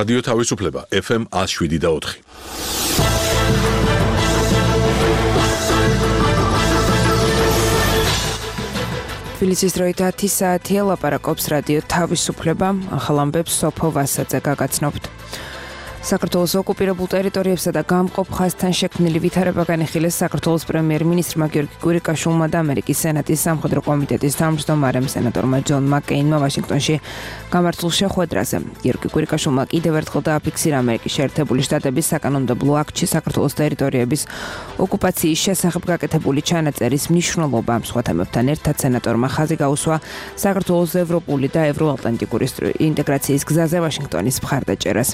რადიო თავისუფლება FM 107.4. თბილისის დროით 10 საათია, ლაპარაკობს რადიო თავისუფლება, ახალ ამბებს სოფო ვასაძე გაგაცნობთ. საქართველოს ოკუპირებულ ტერიტორიებსა და გამყოფ ხაზთან შექმნილი ვითარება განიხილეს საქართველოს პრემიერ-მინისტრმა გიორგი კვირიკაშვილმა და ამერიკის სენატის სამხედრო კომიტეტის თავმჯდომარემ სენატორმა ჯონ მაკეინმა ვაშინგტონში გამართულ შეხვედრაზე. გიორგი კვირიკაშვილმა კიდევ ერთხელ დააფიქსირა ამერიკის შეერთებული შტატების საკანონმდებლო აქტში საქართველოს ტერიტორიების ოკუპაციის შესახებ გაკეთებული ჩანაწერის მნიშვნელობა. სხვა თემებთან ერთად სენატორმა ხაზი გაუსვა საქართველოს ევროპული და ევროატლანტიკური ინტეგრაციის გზაზე ვაშინგტონის მხარდაჭერას.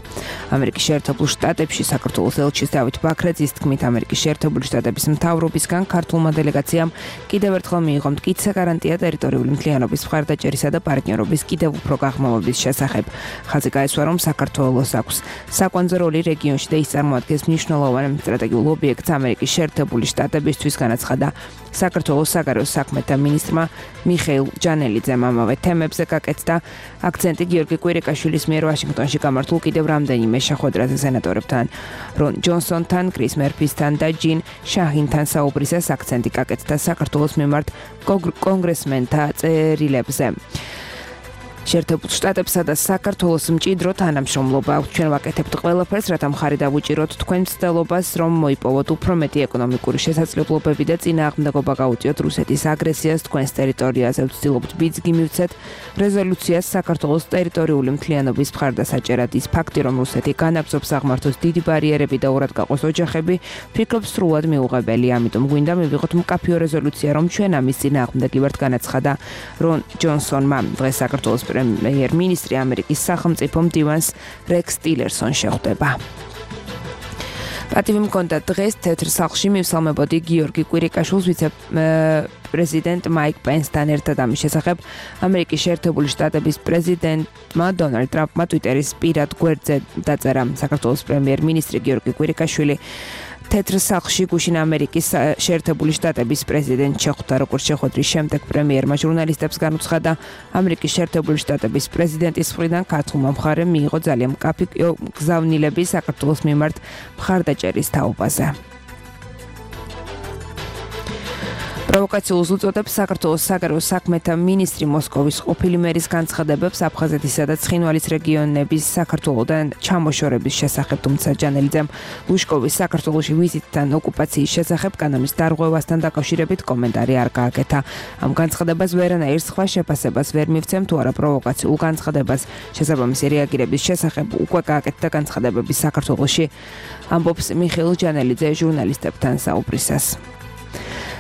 ამერიკის შეერთებულ შტატებში საქართველოს ელჩის დავით ბაქრაძის თქმით, ამერიკის შეერთებული შტატების მთავრობისგან ქართულმა დელეგაციამ კიდევ ერთხელ მიიღო მტკიცე გარანტია ტერიტორიული მთლიანობის მხარდაჭერისა და პარტნიორობის კიდევ უფრო გაღრმავების შესახებ. ხაზი გაესვა, რომ საქართველოს აქვს საკვანძო როლი რეგიონში და ის წარმოადგენს მნიშვნელოვან სტრატეგიულ ობიექტს ამერიკის შეერთებული შტატებისთვის, განაცხადა საქართველოს საგარეო საქმეთა მინისტრმა მიხეილ ჯანელიძემ. ამავე თემებზე გაკეთდა აქცენტი გიორგი კვირიკაშვილის მიერ ვაშინგტონში გამართულ კიდევ რამდენიმე შეხვედრაზე სენატორებთან, რონ ჯონსონთან, კრის მერფისთან და ჯინ შაჰინთან საუბრისას აქცენტი გაკეთდა საქართველოს მიმართ კონგრესმენთა წერილებზე. შეერთებულ შტატებსა და საქართველოს მჭიდრო თანამშრომლობა აქვს. ჩვენ ვაკეთებთ ყველაფერს, რათა მხარი დავუჭიროთ თქვენ მცდელობას, რომ მოიპოვოთ უფრო მეტი ეკონომიკური შესაძლებლობები და წინააღმდეგობა გაუწიოთ რუსეთის აგრესიას თქვენს ტერიტორიაზე. ვცდილობთ ბიძგი მივცეთ რეზოლუციას საქართველოს ტერიტორიული მთლიანობის მხარდასაჭერად. ის ფაქტი, რომ რუსეთი განაგრძობს აღმართოს დიდი ბარიერები და ურად გაყოს ოჯახები, ფიქრობ სრულად მიუღებელია. ამიტომ გვინდა მივიღოთ მკაფიო რეზოლუცია, რომ ჩვენ ამის წინააღმდეგი ვართ, განაცხადა რონ ჯონსონმა. დღეს საქართველოს პრემიერ-მინისტრი ამერიკის სახელმწიფო მდივანს რექს ტილერსონს შეხვდება. პატივი მქონდა დღეს თეთრ სახლში მივსალმებოდი გიორგი კვირიკაშვილს ვიცე-პრეზიდენტ მაიკ პენსთან ერთად. ამის შესახებ ამერიკის შეერთებული შტატების პრეზიდენტმა დონალდ ტრამპმა ტვიტერის პირად გვერდზე დაწერა. საქართველოს პრემიერ-მინისტრი გიორგი კვირიკაშვილი თეთრ სახლში გუშინ ამერიკის შეერთებული შტატების პრეზიდენტ შეხვდა. როგორც შეხვედრის შემდეგ პრემიერმა ჟურნალისტებს განუცხადა, ამერიკის შეერთებული შტატების პრეზიდენტის მხრიდან ქართულმა მხარემ მიიღო ძალიან მკაფი გზავნილები საქართველოს მიმართ მხარდაჭერის თაობაზე. პროვოკაციულს უწოდებს საქართველოს საგარეო საქმეთა მინისტრი მოსკოვის ყოფილი მერის განცხადებებს აფხაზეთისა და ცხინვალის რეგიონების საქართველოდან ჩამოშორების შესახებ, თუმცა ჯანელიძემ ლუშკოვის საქართველოში ვიზიტთან ოკუპაციის შესახებ კანონის დარღვევასთან დაკავშირებით კომენტარი არ გააკეთა. ამ განცხადებას ვერანაირ სხვა შეფასებას ვერ მივცემ, თუ არა პროვოკაციულ განცხადებას შესაბამისი რეაგირების შესახებ უკვე გააკეთდა განცხადებების საქართველოში, ამბობს მიხეილ ჯანელიძე ჟურნალისტებთან საუბრისას.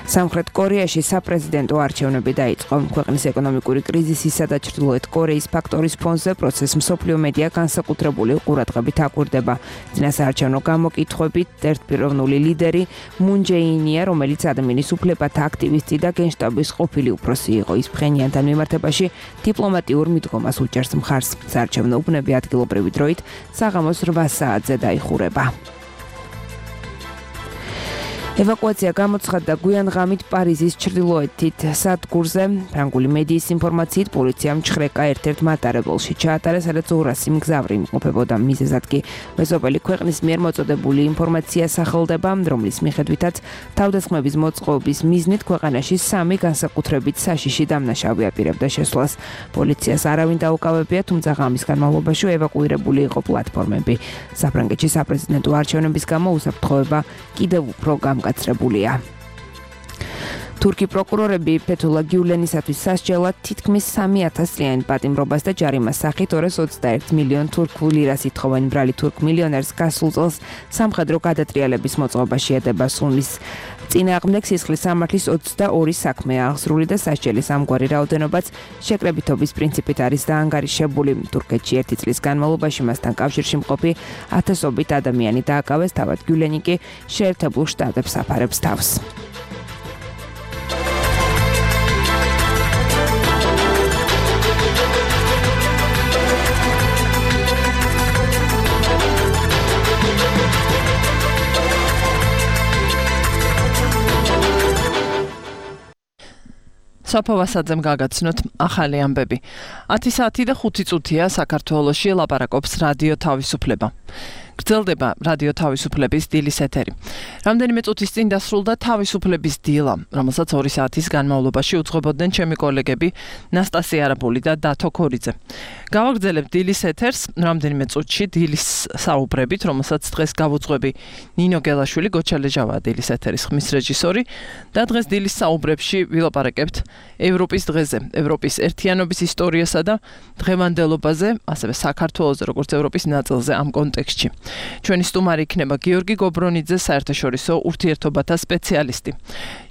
სამხრეთ კორეაში საპრეზიდენტო არჩევნები დაიწყო. ქვეყნის ეკონომიკური კრიზისისა და ჩრდილოეთ კორეის ფაქტორის ფონზე პროცესს მსოფლიო მედია განსაკუთრებული ყურადღებით აკვირდება. წინასაარჩევნო გამოკითხვებით ერთპიროვნული ლიდერი მუნ ჯეინია, რომელიც ადამიანის უფლებათა აქტივისტი და გენშტაბის ყოფილი უფროსი იყო. ის ფხენიანთან მიმართებაში დიპლომატიურ მიდგომას უჭერს მხარს. საარჩევნო უბნები ადგილობრივი დროით საღამოს 8 საათზე დაიხურება. ევაკუაცია გამოცხადდა გვიან ღამით პარიზის ჩრდილოეთით სადგურზე. ფრანგული მედიის ინფორმაციით პოლიციამ ჩხრეკა ერთ-ერთ მატარებელში ჩაატარა, სადაც 200 მგზავრი იმყოფებოდა. მიზეზად კი მეზობელი ქვეყნის მიერ მოწოდებული ინფორმაცია სახელდება, რომლის მიხედვითაც თავდასხმების მოწყობის მიზნით ქვეყანაში 3 განსაკუთრებით საშიში დამნაშავე აპირებდა შესვლას. პოლიციას არავინ დაუკავებია, თუმცა ღამის განმავლობაში ევაკუირებული იყო პლატფორმები. საფრანგეთში საპრეზიდენტო არჩევნების გამო უსაფრთხოება კიდევ უფრო გაცრებულია. თურქი პროკურორები ფეთულა გიულენისათვის სასჯელად თითქმის 3000 წლიანი პატიმრობას და ჯარიმას სახით 221 მილიონ თურქულ ლირას ითხოვენ. ბრალი თურქ მილიონერს გასულ წელს სამხედრო გადატრიალების მოწყობა შეედება. სუნის წინააღმდეგ სისხლის სამართლის 22 საქმეა აღსრული და სასჯელის ამგვარი რაოდენობაც შეკრებითობის პრინციპით არის დაანგარიშებული. თურქეთში 1 წლის განმავლობაში მასთან კავშირში მყოფი ათასობით ადამიანი დააკავეს, თავად გიულენი კი შეერთებულ შტატებს აფარებს თავს. სოფო ვასაძემ გაგაცნოთ ახალი ამბები. 10 საათი და 5 წუთია საქართველოში ლაპარაკობს რადიო თავისუფლება. გრძელდება რადიო თავისუფლების დილის ეთერი. რამდენიმე წუთის წინ დასრულდა თავისუფლების დილა, რომელსაც 2 საათის განმავლობაში უძღვებოდნენ ჩემი კოლეგები ნასტასია არაბული და დათო ქორიძე. გავაგრძელებთ დილის ეთერს რამდენიმე წუთში დილის საუბრებით, რომელსაც დღეს გავუძღვები ნინო გელაშვილი, გოჩალეჟავაა დილის ეთერის ხმის რეჟისორი და დღეს დილის საუბრებში ვილაპარაკებთ ევროპის დღეზე, ევროპის ერთიანობის ისტორიასა და დღევანდელობაზე, ასევე საქართველოზე, როგორც ევროპის ნაწილზე ამ კონტექსტში. ჩვენი სტუმარი იქნება გიორგი გობრონიძე, საერთაშორისო ურთიერთობათა სპეციალისტი.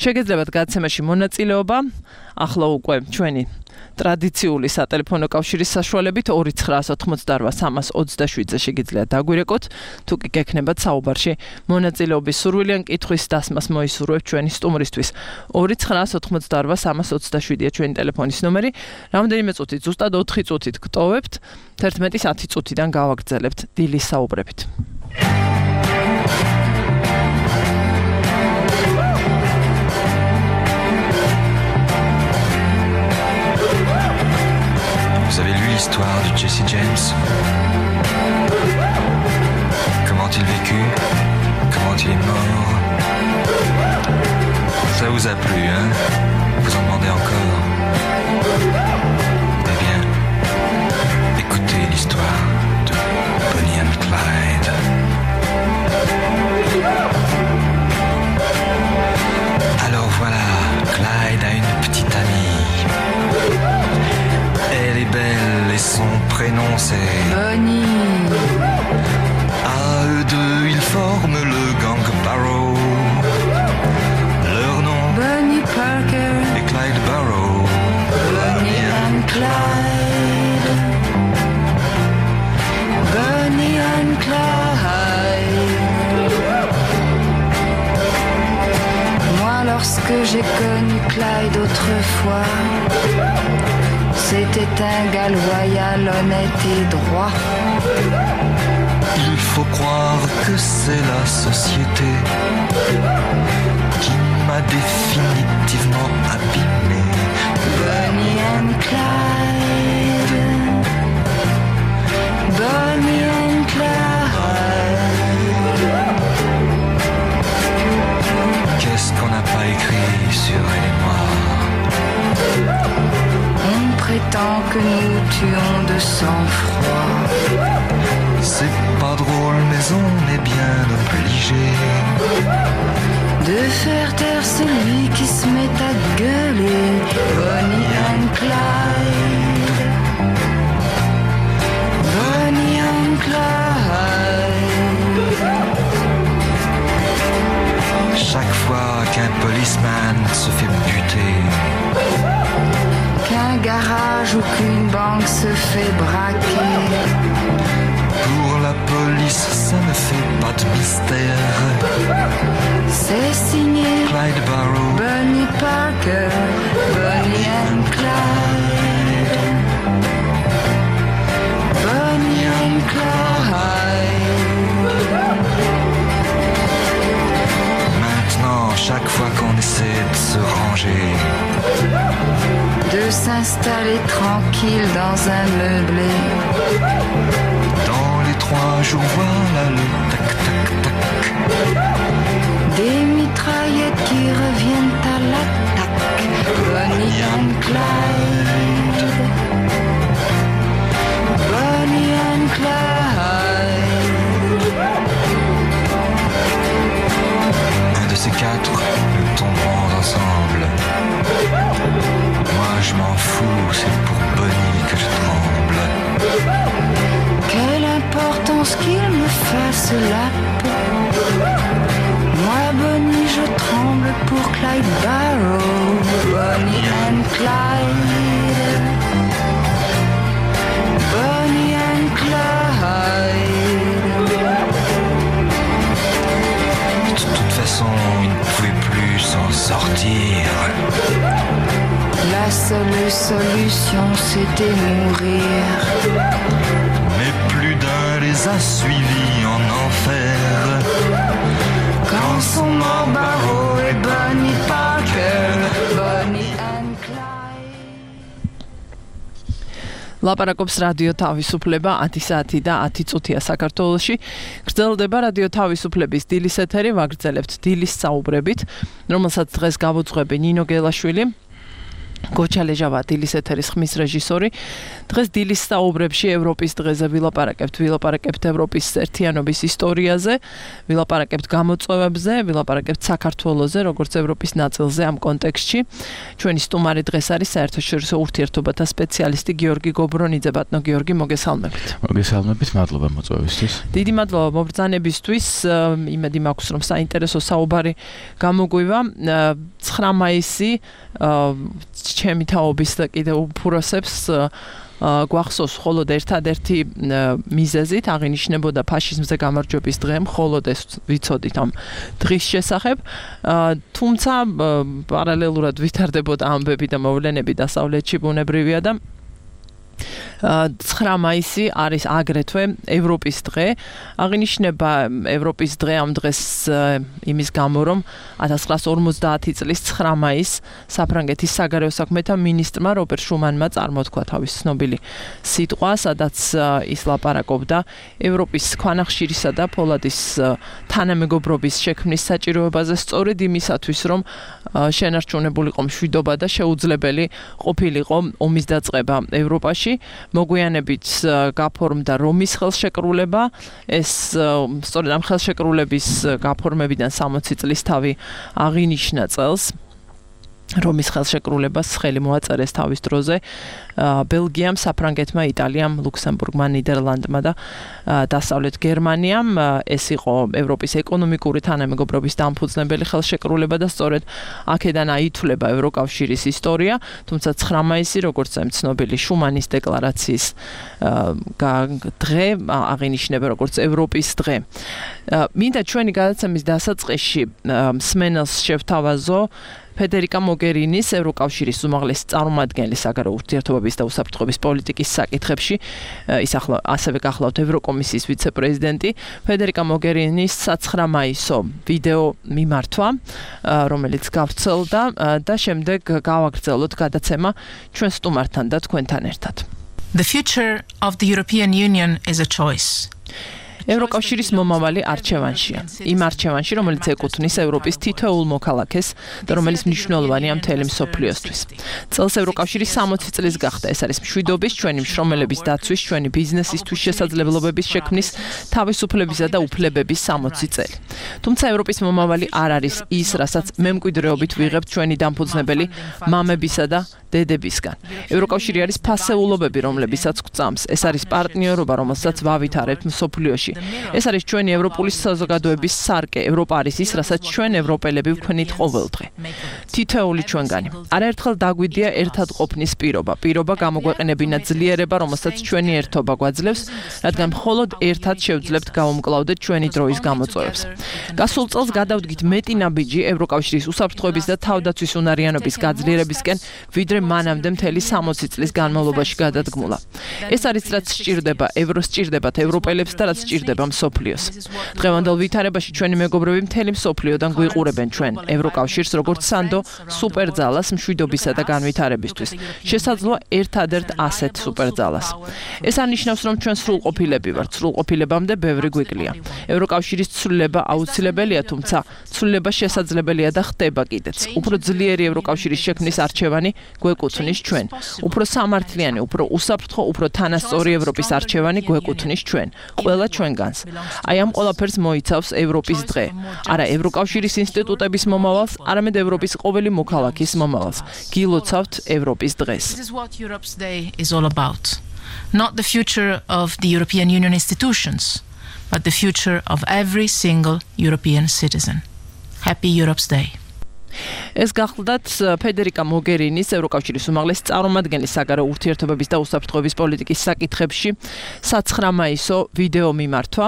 შეგეძლებათ გაცემაში მონაწილეობა, ახლა უკვე ჩვენი ტრადიციული სატელეფონო კავშირის საშუალებით 2988327-ზე შეგიძლიათ დაგვირეკოთ, თუ კი გექნებათ საუბარში მონაწილეობის სურვილი ან კითხვის დასმას მოისურვებთ ჩვენი სტუმრისთვის. 2988327-ია ჩვენი ტელეფონის ნომერი. რამდენიმე წუთით, ზუსტად 4 წუთით გტოვებთ, 11:10 წუთიდან გავაგრძელებთ დილის საუბრებით. Vous avez lu l'histoire de Jesse James? Comment il vécut? Comment il est mort? Ça vous a plu, hein? Vous en demandez encore? Eh bien, écoutez l'histoire de Bonnie and Clyde. Alors voilà, Clyde a une petite amie. Elle est belle et son prénom c'est Bonnie. À eux deux, ils forment le gang Barrow. Leur nom Bonnie Parker. est Clyde Barrow. Bonnie and Clyde. Bonnie and Clyde. Moi, lorsque j'ai connu Clyde autrefois, c'était un gars loyal, honnête et droit. Il faut croire que c'est la société qui m'a définitivement abîmé. Bonnie and Clyde. Bonnie and Clyde. Qu'est-ce qu'on n'a pas écrit sur elle et moi? On prétend que nous tuons de sang-froid. C'est pas drôle mais on est bien obligé De faire taire celui qui se met à gueuler. Bonnie and Clyde. Bonnie and Clyde. chaque fois qu'un policeman se fait buter. Qu'un garage ou qu'une banque se fait braquer. Pour la police, ça ne fait pas de mystère. C'est signé Clyde Barrow, Bonnie Parker, Bonnie and Clyde. Bonnie and Clyde. Maintenant, chaque fois qu'on essaie de se ranger, De s'installer tranquille dans un meublé. dans les 3 jours, voilà le tac-tac-tac. Des mitraillettes qui reviennent à l'attaque. Bonnie and Clyde. Bonnie and Clyde. Un de ces 4, nous tomberons ensemble. Moi je m'en fous, c'est pour Bonnie que je tremble. Quelle importance qu'il me fasse la peau. Moi, Bonnie, je tremble pour Clyde Barrow. Bonnie and Clyde. Bonnie and Clyde. De toute façon, il ne pouvait plus s'en sortir. La seule solution, c'était mourir. Mais plus d'un les a suivis en enfer. Quand sont morts Barrow et Bonnie Parker. Bonnie and Clyde. ლაპარაკობს რადიო თავისუფლება 10 საათი და 10 წუთია საქართველოში. გრძელდება რადიო თავისუფლების დილის ეთერი, ვაგრძელებთ დილის საუბრებით, რომელსაც დღეს გავუძღვები ნინო გელაშვილი. გოჩალეჟავა დილის ეთერის ხმის რეჟისორი. დღეს დილის საუბრებში ევროპის დღეზე ვილაპარაკებთ ევროპის ერთიანობის ისტორიაზე, ვილაპარაკებთ გამოწვევებზე, ვილაპარაკებთ საქართველოზე, როგორც ევროპის ნაწილზე ამ კონტექსტში. ჩვენი სტუმარი დღეს არის საერთაშორისო ურთიერთობათა სპეციალისტი გიორგი გობრონიძე. ბატონო გიორგი, მოგესალმებით. მოგესალმებით, მადლობა მოწვევისთვის. დიდი მადლობა მობრძანებისთვის. იმედი მაქვს, რომ საინტერესო საუბარი გამოგვივა. 9 მაისი ჩემი თაობის და კიდევ უფროსებს გვახსოვს მხოლოდ ერთადერთი მიზეზით აღინიშნებოდა ფაშიზმზე გამარჯვების დღე, მხოლოდ ეს ვიცოდით ამ დღის შესახებ, თუმცა პარალელურად ვითარდებოდა ამბები და მოვლენები დასავლეთში ბუნებრივია და 9 მაისი არის აგრეთვე ევროპის დღე. აღინიშნება ევროპის დღე ამ დღეს იმის გამო, რომ 1950 წლის 9 მაისს საფრანგეთის საგარეო საქმეთა მინისტრმა რობერტ შუმანმა წარმოთქვა თავის ცნობილი სიტყვა, სადაც ის ლაპარაკობდა ევროპის ქვანახშირისა და ფოლადის თანამეგობრობის შექმნის საჭიროებაზე, სწორედ იმისათვის, რომ შენარჩუნებულიყო მშვიდობა და შეუძლებელი ყოფილიყო ომის დაწყება ევროპაში. მოგვიანებით გაფორმდა რომის ხელშეკრულება. ეს სწორედ ამ ხელშეკრულების გაფორმებიდან 60 წლის თავი აღინიშნა წელს. რომის ხელშეკრულებას ხელი მოაწერეს თავის დროზე ბელგიამ, საფრანგეთმა, იტალიამ, ლუქსემბურგმა, ნიდერლანდმა და დასავლეთ გერმანიამ. ეს იყო ევროპის ეკონომიკური თანამეგობრობის დამფუძნებელი ხელშეკრულება და სწორედ აქედან აითვლება ევროკავშირის ისტორია. თუმცა 9 მაისი, როგორც ცნობილი შუმანის დეკლარაციის დღე, აღინიშნება როგორც ევროპის დღე. მინდა ჩვენი გადაცემის დასაწყისში მსმენელს შევთავაზო ფედერიკა მოგერინის, ევროკავშირის უმაღლესი წარმომადგენლის საგარეო ურთიერთობების და უსაფრთხოების პოლიტიკის საკითხებში, ის ასევე გახლავთ ევროკომისიის ვიცე-პრეზიდენტი, ფედერიკა მოგერინის 9 მაისო ვიდეო მიმართვა, რომელიც გავრცელდა და შემდეგ გავაგრძელოთ გადაცემა ჩვენ სტუმართან და თქვენთან ერთად. The future of the European Union is a choice. ევროკავშირის მომავალი არჩევანშია. იმ არჩევანში, რომელიც ეკუთვნის ევროპის თითოეულ მოქალაქეს და რომელიც მნიშვნელოვანია მთელი მსოფლიოსთვის. წელს ევროკავშირი 60 წლის გახდა. ეს არის მშვიდობის, ჩვენი შრომელების დაცვის, ჩვენი ბიზნესისთვის შესაძლებლობების შექმნის, თავისუფლებისა და უფლებების 60 წელი. თუმცა ევროპის მომავალი არ არის ის, რასაც მემკვიდრეობით ვიღებთ ჩვენი დამფუძნებელი მამებისა და დედებისგან. ევროკავშირი არის ფასეულობები, რომლებისაც გვწამს. ეს არის პარტნიორობა, რომელსაც ვავითარებთ მსოფლიოში. ეს არის ჩვენი ევროპული საზოგადოების სარკე. ევროპა არის ის, რასაც ჩვენ ევროპელები ვქნით ყოველდღე. თითოეული ჩვენგანი. არაერთხელ დაგვიდია ერთად ყოფნის პირობა გამოგვეყენებინა ძლიერება, რომელსაც ჩვენი ერთობა გვაძლევს, რადგან მხოლოდ ერთად შევძლებთ გავუმკლავდეთ ჩვენი დროის გამოწვევებს. გასულ წელს გადავდგით მეტი ნაბიჯი ევროკავშირის უსაფრთხოების და თავდაცვის უნარიანობის გაძლიერებისკენ, ვიდრე მანამდე მთელი 60 წლის განმავლობაში გადადგმულა. ეს არის რაც სჭირდება სჭირდებათ ევროპელებს და რაც სჭირდება მსოფლიოს. დღევანდელ ვითარებაში ჩვენი მეგობრები მთელი მსოფლიოდან გვიყურებენ ჩვენ ევროკავშირს როგორც სანდო სუპერძალას მშვიდობისა და განვითარებისთვის. შესაძლოა ერთადერთ ასეთ სუპერძალას. ეს არნიშნავს, რომ ჩვენ სრულყოფილები ვართ. სრულყოფილებამდე ბევრი გვიკლია. ევროკავშირის ცვლილება აუცილებელია, თუმცა ცვლილება შესაძლებელია და ხდება კიდეც. უფრო ძლიერი ევროკავშირის შექმნის არჩევანი გვეკუთვნის ჩვენ. უფრო სამართლიანი, უფრო უსაფრთხო, უფრო თანასწორი ევროპის არჩევანი გვეკუთვნის ჩვენ. ყველა ჩვენგანს. აი ამ ყველაფერს მოიცავს ევროპის დღე. არა ევროკავშირის ინსტიტუტების მომავალს, არამედ ევროპის ყოველი მოქალაქის მომავალს. გილოცავთ ევროპის დღეს. This is what Europe's Day is all about. Not the future of the European Union institutions, but the future of every single European citizen. Happy Europe's Day. ეს გახლდათ ფედერიკა მოგერინის ევროკავშირის უმაღლესი წარმომადგენლის საგარეო ურთიერთობების და უსაფრთხოების პოლიტიკის საკითხებში 9 მაისო ვიდეო მიმართვა,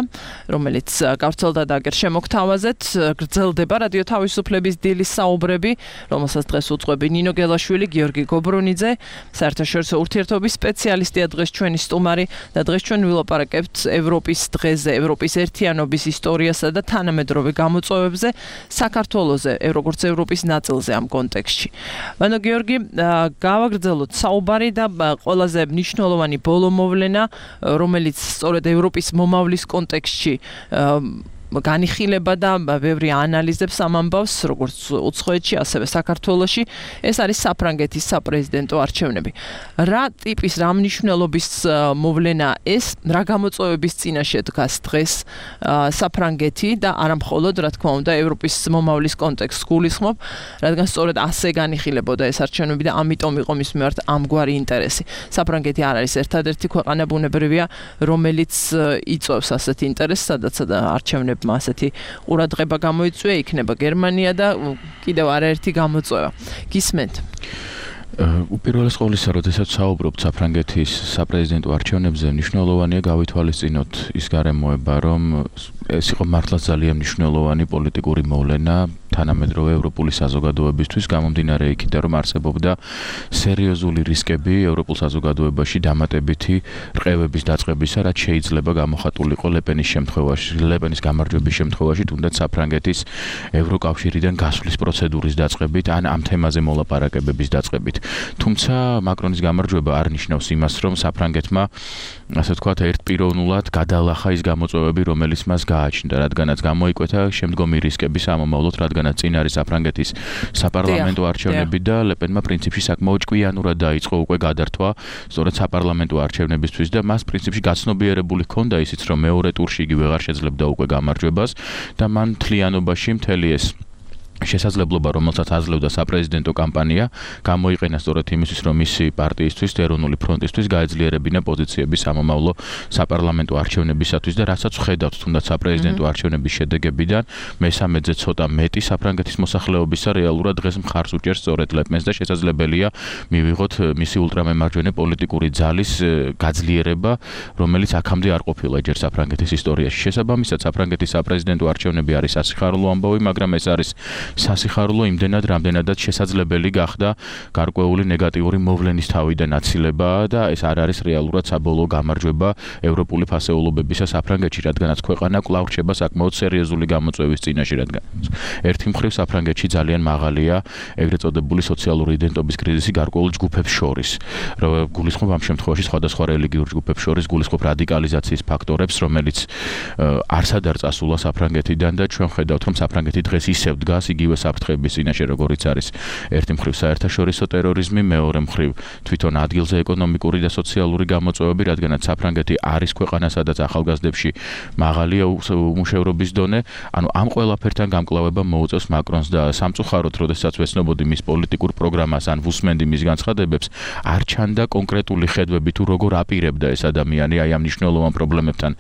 რომელიც გავრცელდა და აგერ შემოგთავაზეთ. გრძელდება რადიო თავისუფლების დილის საუბრები, რომელსაც დღეს უძღვები ნინო გელაშვილი, გიორგი გობრონიძე, საერთაშორისო ურთიერთობების სპეციალისტია დღეს ჩვენი სტუმარი და დღეს ჩვენ ვილაპარაკებთ ევროპის დღეზე, ევროპის ერთიანობის ისტორიასა და თანამედროვე გამოწვევებზე, საქართველოზე, როგორც ევროპის ევროპის ნაწილზე ამ კონტექსტში. ბანო გიორგი, გავაგრძელოთ საუბარი და ყველაზე მნიშვნელოვანი ბოლო მოვლენა, რომელიც სწორედ ევროპის მომავლის კონტექსტში განიხილება და ბევრი ანალიზებს ამ ამბავს, როგორც უცხოეთში, ასევე საქართველოში, ეს არის საფრანგეთის საპრეზიდენტო არჩევნები. რა ტიპის, რა მნიშვნელობის მოვლენა ეს, რა გამოწვევების წინაშე დგას დღეს საფრანგეთი და არა მხოლოდ, რა თქმა უნდა, ევროპის მომავლის კონტექსტს გულისხმობ, რადგან სწორედ ასე განიხილებოდა ეს არჩევნები და ამიტომ იყო მის მიმართ ამგვარი ინტერესი. საფრანგეთი არ არის ერთადერთი ქვეყანა ბუნებრივია, რომელიც იწვევს ასეთ ინტერესს, სადაც არჩევნები ასეთი ყურადღება გამოიწვია, იქნება გერმანია და კიდევ არაერთი გამოწვევა. გისმენთ? უპირველეს ყოვლისა, როდესაც საუბრობთ საფრანგეთის საპრეზიდენტო არჩევნებზე, მნიშვნელოვანია გავითვალისწინოთ ის გარემოება, რომ ეს იყო მართლაც ძალიან მნიშვნელოვანი პოლიტიკური მოვლენა თანამედროვე ევროპული საზოგადოებისთვის, გამომდინარე იქიდან, რომ არსებობდა სერიოზული რისკები ევროპულ საზოგადოებაში დამატებითი რყევების დაწყებისა, რაც შეიძლება გამოხატულიყო ლეპენის შემთხვევაში, ლეპენის გამარჯვების შემთხვევაში, თუნდაც საფრანგეთის ევროკავშირიდან გასვლის პროცედურის დაწყებით, ან ამ თემაზე მოლაპარაკებების დაწყებით. თუმცა მაკრონის გამარჯვება არ ნიშნავს იმას, რომ საფრანგეთმა, ასე ვთქვათ, ერთპიროვნულად გადალახა ის გამოწვევები, რომელიც მას გააჩნდა, რადგანაც გამოიკვეთა შემდგომი რისკები სამომავლოდ, რადგანაც წინ არის საფრანგეთის საპარლამენტო არჩევნები და ლეპენმა პრინციპში საკმაოდ ჭკვიანურად დაიწყო უკვე გადართვა სწორედ საპარლამენტო არჩევნებისთვის და მას პრინციპში გაცნობიერებული ჰქონდა ისიც, რომ მეორე ტურში იგი ვეღარ შეძლებდა უკვე გამარჯვებას და მან მთლიანობაში მთელი ეს შესაძლებლობა, რომელსაც აძლევდა საპრეზიდენტო კამპანია, გამოიყენა სწორედ იმისთვის, რომ მისი პარტიისთვის, ეროვნული ფრონტისთვის გაეძლიერებინა პოზიციები სამომავლო საპარლამენტო არჩევნებისათვის და რასაც ვხედავთ თუნდაც საპრეზიდენტო არჩევნების შედეგებიდან, მესამედზე ცოტა მეტი საფრანგეთის მოსახლეობისა რეალურად დღეს მხარს უჭერს სწორედ ლეპენს და შესაძლებელია მივიღოთ მისი ულტრამემარჯვენე პოლიტიკური ძალის გაძლიერება, რომელიც აქამდე არ ყოფილა ჯერ საფრანგეთის ისტორიაში. შესაბამისად, საფრანგეთის საპრეზიდენტო არჩევნები არის სასიხარულო ამბავი, მაგრამ ეს არის სასიხარულო იმდენად, რამდენადაც შესაძლებელი გახდა გარკვეული ნეგატიური მოვლენის თავიდან აცილება და ეს არ არის რეალურად საბოლოო გამარჯვება ევროპული ფასეულობებისა საფრანგეთში, რადგანაც ქვეყანა კვლავ რჩება საკმაოდ სერიოზული გამოწვევის წინაშე, რადგან ერთი მხრივ საფრანგეთში ძალიან მაღალია ეგრეთ წოდებული სოციალური იდენტობის კრიზისი გარკვეულ ჯგუფებს შორის. გულისხმობ ამ შემთხვევაში სხვადასხვა რელიგიურ ჯგუფებს შორის, გულისხმობ რადიკალიზაციის ფაქტორებს, რომელიც არსად არ წასულა საფრანგეთიდან და ჩვენ ხედავთ, რომ საფრანგეთი დღეს ისევ დგას იგივე საფრთხების წინაშე, როგორიც არის ერთი მხრივ საერთაშორისო ტერორიზმი, მეორე მხრივ თვითონ ადგილზე ეკონომიკური და სოციალური გამოწვევები, რადგანაც საფრანგეთი არის ქვეყანა, სადაც ახალგაზრდებში მაღალია უმუშევრობის დონე, ანუ ამ ყველაფერთან გამკლავება მოუწევს მაკრონს და სამწუხაროდ, როდესაც ვეცნობოდი მის პოლიტიკურ პროგრამას ან ვუსმენდი მის განცხადებებს, არ ჩანდა კონკრეტული ხედვები თუ როგორ აპირებდა ეს ადამიანი აი ამ მნიშვნელოვან პრობლემებთან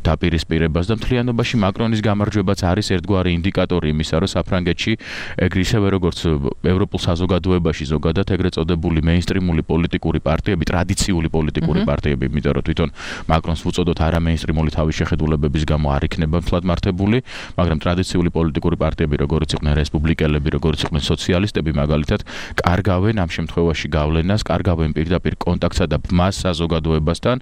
დაპირისპირებას და მთლიანობაში მაკრონის გამარჯვებაც არის ერთგვარი ინდიკატორი იმისა, რომ საფრანგეთში ისევე როგორც ევროპულ საზოგადოებაში ზოგადად ეგრეთ წოდებული მეინსტრიმული პოლიტიკური პარტიები, ტრადიციული პოლიტიკური პარტიები, იმიტომ რომ თვითონ მაკრონს უწოდოთ არა მეინსტრიმული თავის შეხედულებების გამო არ იქნება მთლად მართებული, მაგრამ ტრადიციული პოლიტიკური პარტიები, როგორც იყვნენ რესპუბლიკელები, როგორც იყვნენ სოციალისტები, მაგალითად, კარგავენ ამ შემთხვევაში გავლენას, კარგავენ პირდაპირ კონტაქტსა და ბმას საზოგადოებასთან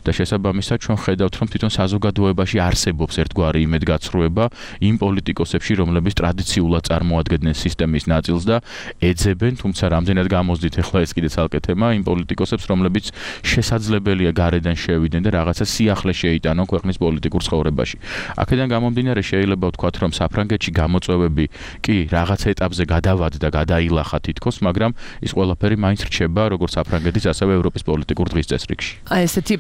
და შესაბამისად ჩვენ ხედავთ, რომ თვითონ საზოგადოებაში არსებობს ერთგვარი იმედგაცრუება იმ პოლიტიკოსებში, რომლებიც ტრადიციულად წარმოადგენენ სისტემის ნაწილს და ეძებენ, თუმცა რამდენად გამოსდით ახლა ეს კიდე ცალკე თემა, იმ პოლიტიკოსებს, რომლებიც შესაძლებელია გარედან შევიდნენ და რაღაცა სიახლე შეიტანონ ქვეყნის პოლიტიკურ ცხოვრებაში. აქედან გამომდინარე შეიძლება ვთქვათ, რომ საფრანგეთში გამოწვევები კი რაღაც ეტაპზე გადავადდა, გადაილახა თითქოს, მაგრამ ის ყველაფერი მაინც რჩება როგორც საფრანგეთის, ასევე ევროპის პოლიტიკურ დღის წესრიგში. აი ესეთი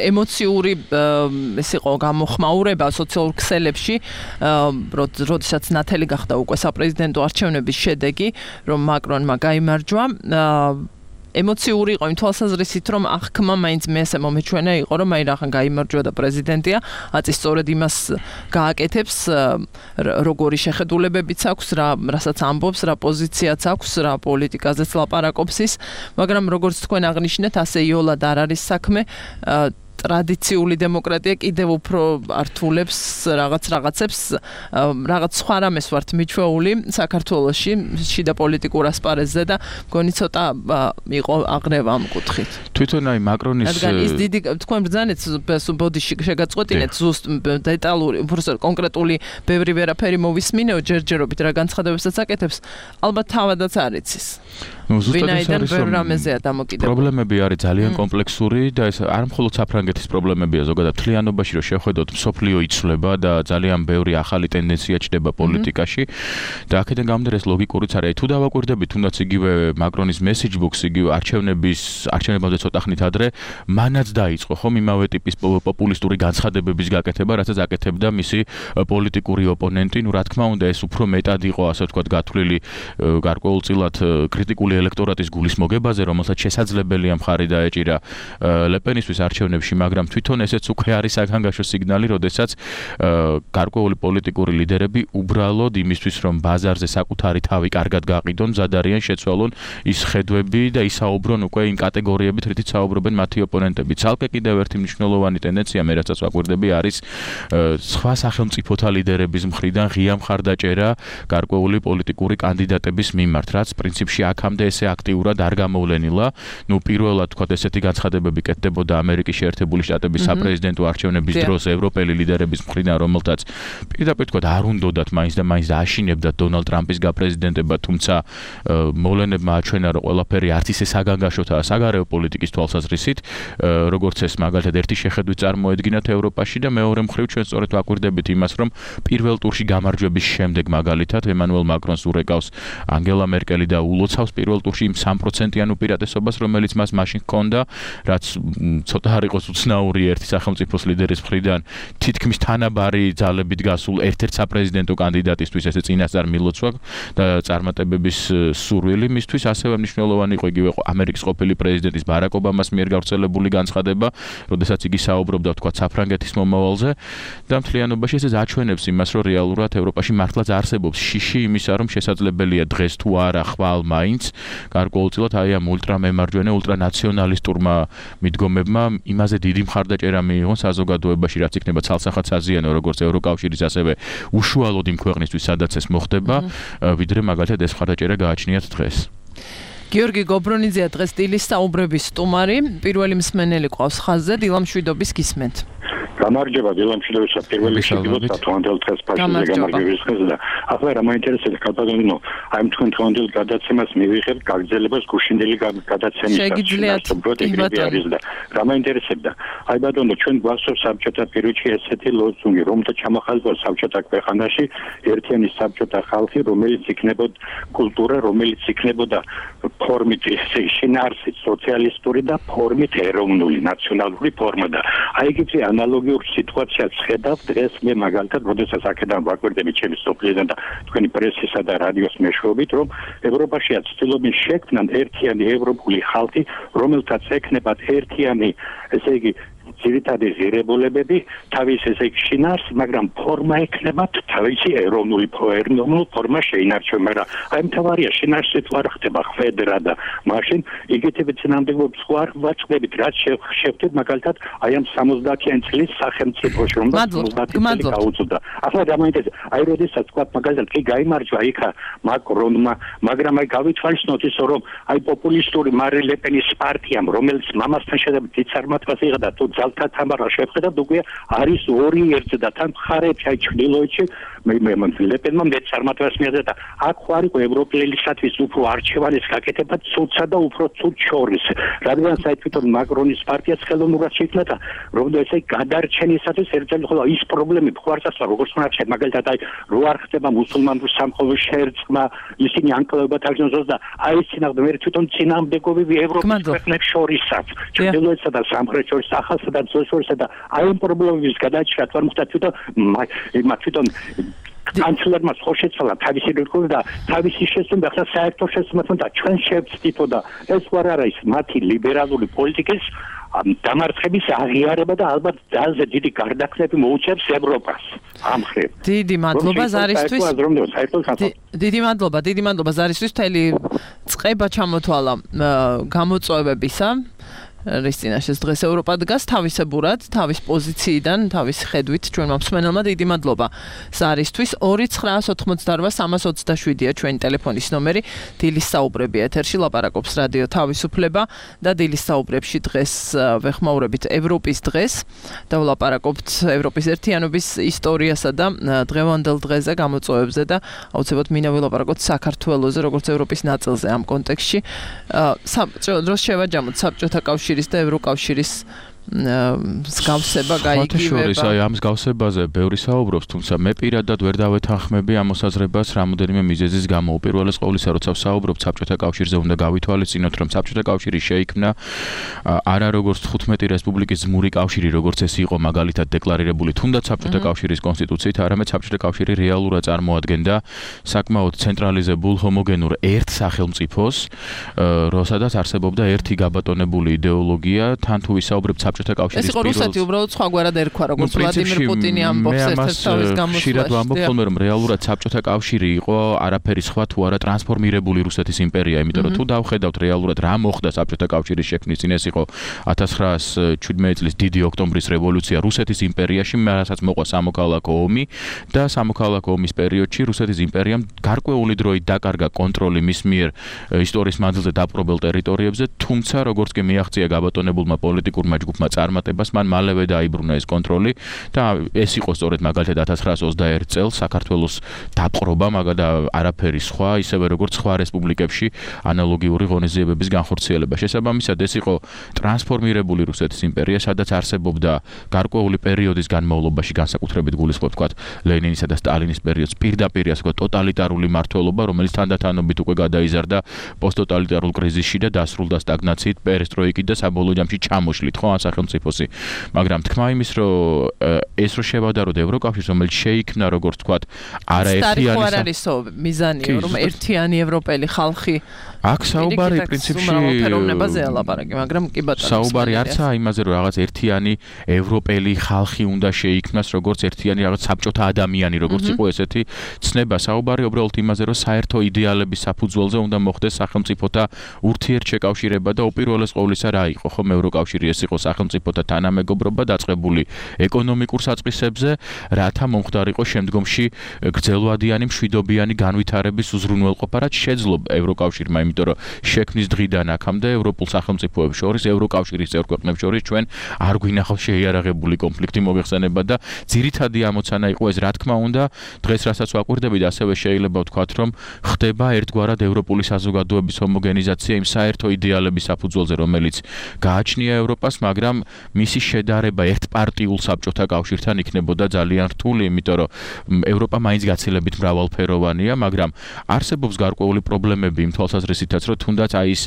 ემოციური ეს იყო გამოხმაურება სოციალურ ქსელებში, როდესაც ნათელი გახდა უკვე საპრეზიდენტო არჩევნების შედეგი, რომ მაკრონმა გაიმარჯვა. ემოციური იყო იმ თვალსაზრისით, რომ აღქმა მაინც მე ესე მომეჩვენა იყო, რომ აი რახან გაიმარჯვა და პრეზიდენტია, აწი სწორედ იმას გააკეთებს, როგორი შეხედულებებიც აქვს, რასაც ამბობს, რა პოზიციაც აქვს, რა პოლიტიკაზეც ლაპარაკობს ის, მაგრამ როგორც თქვენ აღნიშნეთ, ასე იოლად არ არის საქმე. ტრადიციული დემოკრატია კიდევ უფრო ართულებს რაღაცებს, რაღაც სხვა რამეს ვართ მიჩვეული საქართველოში, შიდა პოლიტიკურ ასპარეზზე და მგონი ცოტა იყო აღრევა ამ კუთხით. თვითონ აი მაკრონის რადგან ის დიდი თქვენ ბრძანეთ ბოდიში შეგაწყვეტინეთ ზუსტ დეტალური უბრალოდ კონკრეტული ბევრი ვერაფერი მოვისმინეო ჯერჯერობით რა განცხადებებსაც აკეთებს ალბათ თავადაც არ იცის ვინაიდან ბევრ რამეზეა დამოკიდებული პრობლემები არის ძალიან კომპლექსური და ეს არ მხოლოდ საფრანგეთის პრობლემებია ზოგადად მთლიანობაში რომ შევხედოთ მსოფლიო იცვლება და ძალიან ბევრი ახალი ტენდენცია ჩდება პოლიტიკაში და აქედან გამომდინარე ეს ლოგიკურიც არის თუ დავაკვირდებით თუნდაც იგივე მაკრონის message book იგივე არჩევნებამდე ცოტა ხნით ადრე მანაც დაიწყო ხომ იმავე ტიპის პოპულისტური განცხადებების გაკეთება რასაც აკეთებდა მისი პოლიტიკური ოპონენტი რა თქმა უნდა ეს უფრო მეტად იყო ასე ვთქვათ გათვლილი გარკვეულწილად კრიტიკული ელექტორატის გულის მოგებაზე რომელსაც შესაძლებელია მხარი დაეჭირა ლეპენისთვის არჩევნებში მაგრამ თვითონ ესეც უკვე არის საგანგაშო სიგნალი როდესაც გარკვეული პოლიტიკური ლიდერები უბრალოდ იმისთვის რომ ბაზარზე საკუთარი თავი კარგად გაყიდონ მზად არიან შეცვალონ ის ხედვები და ისაუბრონ უკვე იმ კატეგორიებით რითიც საუბრობენ მათი ოპონენტები ცალკე კიდევ ერთი მნიშვნელოვანი ტენდენცია მე რასაც ვაკვირდები არის სხვა სახელმწიფოთა ლიდერების მხრიდან ღია მხარდაჭერა გარკვეული პოლიტიკური კანდიდატების მიმართ რაც პრინციპში აქამდე ესე აქტიურად არ გამოვლენილა ნუ პირველად თქვა ესეთი განცხადებები კეთდებოდა ამერიკის შეერთებული შტატების საპრეზიდენტო არჩევნების დროს ევროპელი ლიდერების მხრიდან რომელთაც პირდაპირ თქვა არ უნდათ მაინც და მაინც აშინებდათ დონალდ ტრამპის გაპრეზიდენტება თუმცა მოვლენებმა აჩვენა რომ ყველაფერი არც ისე საგანგაშოთაა საგარეო პოლიტიკის თვალსაზრისით როგორც ეს მაგალითად ერთი შეხედვით წარმოედგინათ ევროპაში და მეორე მხრივ ჩვენ სწორედ ვაკვირდებით იმას რომ პირველ ტურში გამარჯვების შემდეგ მაგალითად ემანუელ მაკრონს ურეკავს ანგელა მერკელი და ულოცავს პირველ ტურში იმ 3%-იან უპირატესობას რომელიც მას მაშინ ჰქონდა რაც ცოტა არ იყოს უცნაური ერთი სახელმწიფოს ლიდერის მხრიდან თითქმის თანაბარი ძალებით გასულ ერთ-ერთ საპრეზიდენტო კანდიდატისთვის ესე წინასწარ მილოცვა და წარმატებების სურვილი მისთვის ასევე მნიშვნელოვანი იყო იგივე ამერიკის ყოფილი პრეზიდენტის ბარაკ ობამას მიერ გავრცელებული განცხადება, როდესაც იგი საუბრობდა თქვა საფრანგეთის მომავალზე და მთლიანობაში ეს აჩვენებს იმას, რომ რეალურად ევროპაში მართლაც არსებობს შიში იმისა, რომ შესაძლებელია დღეს თუ არა ხვალ მაინც გარკვეულწილად აი ამ ულტრამემარჯვენე, ულტრანაციონალისტურმა მიდგომებმა იმაზე დიდი მხარდაჭერა მიიღონ საზოგადოებაში, რაც იქნება ცალსახად საზიანო, როგორც ევროკავშირის, ასევე უშუალოდ იმ ქვეყნისთვის, სადაც ეს მოხდება, ვიდრე მაგალითად ეს მხარდაჭერა გააჩნიათ დღეს. გიორგი გობრონიძეა დღეს სტილის საუბრების სტუმარი, პირველი მსმენელი ყავს ხაზზე, დილამშვიდობის გისმენთ. გამარჯობა დილამშვიდობისა პირველი შეგვიძლია თვანდელ დღეს პაშიზე გამარჯვების დღეს და ახლა რა მაინტერესებს კაპიტანინო აი თქვენ თვანდელ გადაცემას მივიღებთ გაგრძელებას გუშინდელი გადაცემის არის და რა მაინტერესებდა აი ბატონო ჩვენ გვახსოვს საბჭოთა პირობებში ესეთი ლოზუნგი რომ და ჩამოხალხა საბჭოთა ქვეყანაში ერთიანი საბჭოთა ხალხი რომელიც იქნებოდა კულტურა რომელიც იქნებოდა ფორმით შინაარსით სოციალისტური და ფორმით ეროვნული ნაციონალური ფორმა და აი იგივე ანალოგი სიტუაციას ხედავ დღეს მე მაგალითად როდესაც აქედან ვაკვირდები ჩემი სოფლიდან და თქვენი პრესისა და რადიოს მეშვეობით რომ ევროპაშია ცდილობენ შექმნან ერთიანი ევროპული ხალხი რომელთაც ექნებათ ერთიანი ესე იგი ძირითადი ღირებულებები თავის ესე იგი შინაარს მაგრამ ფორმა ექნებათ თავისი ეროვნული ფორმა შეინარჩუნონ მაგრამ აი მთავარია შინაარსით არ ხდება ხვედრა და მაშინ იგივე წინამდებობს სხვა ვაწყდებით რაც შევხვდით მაგალითად აი ამ 70-იან წლის სახელმწიფოში რომ 70 გაუწოდა ახლა დამაინტერესა აი როდესაც თქვა მაგალითად კი გაიმარჯვა იქა მაკრონმა მაგრამ აი გავითვალისწინოთ ისო რომ აი პოპულისტური მარი ლეპენის პარტიამ რომელიც მამასთან შედარებით დიდ წარმატებას იღდა და თუ ძალთა თამარა შეხედავთ უკვე არის 2-1 და თან ხარეთ აი ჩრდილოეთში მე ლეპენმა მე წარმატებას მიიღდა და აქ ხარ იყო ევროპელისათვის უფრო არჩევანის გაკეთება ცუცსა და უფრო ცუც შორის რადგან საერთოდ მაკრონის პარტიას ხელოვნურად შეიქმნა და რომ ესე გადარჩენისათვის ერთად ხოლო ის პრობლემები ხوارცასლა როგორც უნდა შეიძლება მაგალითად აი რო არ ხდება მუსულმანურ სამყაროს შერწყმა ისინი ანკლავებად აღნიშნოს და აი წინაღმდეგ მე თვითონ წინამდებობები ევროპის ქვეყნებს შორისაც ჩრდილოეთსა და სამხრეთ შორის ახალსა და ძველ და აი ამ პრობლემების გადაჭრა თვარ მოხდა თვითონ კანცლერმა ხო შეცვალა თავისი რეკორდი და თავისი შესწავლა ახლა საერთო შესწავლასთან და ჩვენ შევწდითო და ეს ვარ არის მათი ლიბერალური პოლიტიკის დამარცხების აღიარება და ალბათ ძალზე დიდი გარდაქმნები მოუწევს ევროპას ამ ხრივ. დიდი მადლობა ზარისთვის. დიდი მადლობა ზარისთვის მთელი წყება ჩამოთვალა გამოწვევებისა. რის წინაშეც დღეს ევროპა დგას თავისებურად, თავის პოზიციიდან, თავის ხედვით ჩვენმა მსმენელმა დიდი მადლობა ზარისთვის. 2988327-ია ჩვენი ტელეფონის ნომერი. დილის საუბრები ეთერში ლაპარაკობს რადიო თავისუფლება და დილის საუბრებში დღეს ვეხმაურებით ევროპის დღეს და ვლაპარაკობთ ევროპის ერთიანობის ისტორიასა და დღევანდელ დღეზე, გამოწვევებზე და აუცილებლად მინდა ვილაპარაკოთ საქართველოზე, როგორც ევროპის ნაწილზე ამ კონტექსტში. დროს შევაჯამოთ საბჭოთა კავშირის და ევროკავშირის მსგავსება გაიგივება. აი ამ მსგავსებაზე ბევრი საუბრობს, თუმცა მე პირადად ვერ დავეთანხმები ამ მოსაზრებას რამოდენიმე მიზეზის გამო. უპირველეს ყოვლისა, როცა ვსაუბრობ საბჭოთა კავშირზე, უნდა გავითვალისწინოთ, რომ საბჭოთა კავშირი შეიქმნა არა როგორც 15 რესპუბლიკის ძმური კავშირი, როგორც ეს იყო მაგალითად დეკლარირებული თუნდაც საბჭოთა კავშირის კონსტიტუციით, არამედ საბჭოთა კავშირი რეალურად წარმოადგენდა საკმაოდ ცენტრალიზებულ ჰომოგენურ ერთ სახელმწიფოს, როსადაც არსებობდა ერთი გაბატონებული იდეოლოგია, თან თუ ვისაუბრებთ საბჭოთა კავშირის ეს იყო რუსეთი უბრალოდ სხვაგვარად ერქვა, როგორც ვლადიმერ პუტინი ამბობს ერთ-ერთ თავის გამოსვლაში. ხშირად ვამბობ ხოლმე, რომ რეალურად საბჭოთა კავშირი იყო არაფერი სხვა თუ არა ტრანსფორმირებული რუსეთის იმპერია, იმიტომ რომ თუ დავხედავთ რეალურად რა მოხდა საბჭოთა კავშირის შექმნის წინ, ეს იყო 1917 წლის დიდი ოქტომბრის რევოლუცია რუსეთის იმპერიაში, რასაც მოყვა სამოქალაქო ომი და სამოქალაქო ომის პერიოდში რუსეთის იმპერიამ გარკვეული დროით დაკარგა კონტროლი მის მიერ ისტორიის მანძილზე დაპყრობილ ტერიტორიებზე, თუმცა როგორც კი მიაღწია გაბატონებულმა პოლიტიკურმა ჯგუფმა წარმატებას, მან მალევე დაიბრუნა ეს კონტროლი და ეს იყო სწორედ მაგალითად 1921 წელს საქართველოს დაპყრობა, მაგალითად არაფერი სხვა, ისევე როგორც სხვა რესპუბლიკებში ანალოგიური ღონისძიებების განხორციელება. შესაბამისად, ეს იყო ტრანსფორმირებული რუსეთის იმპერია, სადაც არსებობდა გარკვეული პერიოდის განმავლობაში, განსაკუთრებით გულისხმობ თქვათ ლენინისა და სტალინის პერიოდს, პირდაპირ ასე ვთქვათ ტოტალიტარული მმართველობა, რომელიც თანდათანობით უკვე გადაიზარდა პოსტტოტალიტარულ კრიზისში და დასრულდა სტაგნაციით, პერესტროიკით და საბოლოო ჯამში ჩამოშლით, ხო, ამ სახელმწიფოსი. მაგრამ თქმა იმის, რომ ეს რო შევადაროთ ევროკავშირს, რომელიც შეიქმნა როგორც თქვათ არაერთიანი არ არისო მიზანი, რომ ერთიანი ევროპელი ხალხი აქ საუბარი პრინციპში ფეროვნებაზეა ლაპარაკი, მაგრამ კი ბატონო საუბარი არცაა იმაზე, რომ რაღაც ერთიანი ევროპელი ხალხი უნდა შეიქმნას, როგორც ერთიანი რაღაც საბჭოთა ადამიანი, როგორც იყო ესეთი ცნება. საუბარი უბრალოდ იმაზე, რომ საერთო იდეალების საფუძველზე უნდა მოხდეს სახელმწიფოთა ურთიერთშეკავშირება და უპირველეს ყოვლისა რა იყო, ხომ ევროკავშირი ეს იყო სახელმწიფოთა თანამეგობრობა დაწყებული ეკონომიკურ საწყისებზე, რათა მომხდარიყო შემდგომში გრძელვადიანი მშვიდობიანი განვითარების უზრუნველყოფა, რაც შეძლო ევროკავშირმა, იმიტომ რომ შექმნის დღიდან აქამდე ევროპულ სახელმწიფოებს შორის, ევროკავშირის წევრ ქვეყნებს შორის ჩვენ არ გვინახავს შეიარაღებული კონფლიქტი მოიხსენება და ძირითადი ამოცანა იყო ეს, რა თქმა უნდა, დღეს რასაც ვაკვირდებით, ასევე შეიძლება ვთქვათ, რომ ხდება ერთგვარად ევროპული საზოგადოების ჰომოგენიზაცია იმ საერთო იდეალების საფუძველზე, რომელიც გააჩნია ევროპას, მაგრამ მისი შედარება ერთპარტიულ საბჭოთა კავშირთან იქნებოდა ძალიან რთული, იმიტომ რომ ევროპა მაინც გაცილებით მრავალფეროვანია, მაგრამ არსებობს გარკვეული პრობლემები იმ თვალსაზრისითაც, რომ თუნდაც აი ეს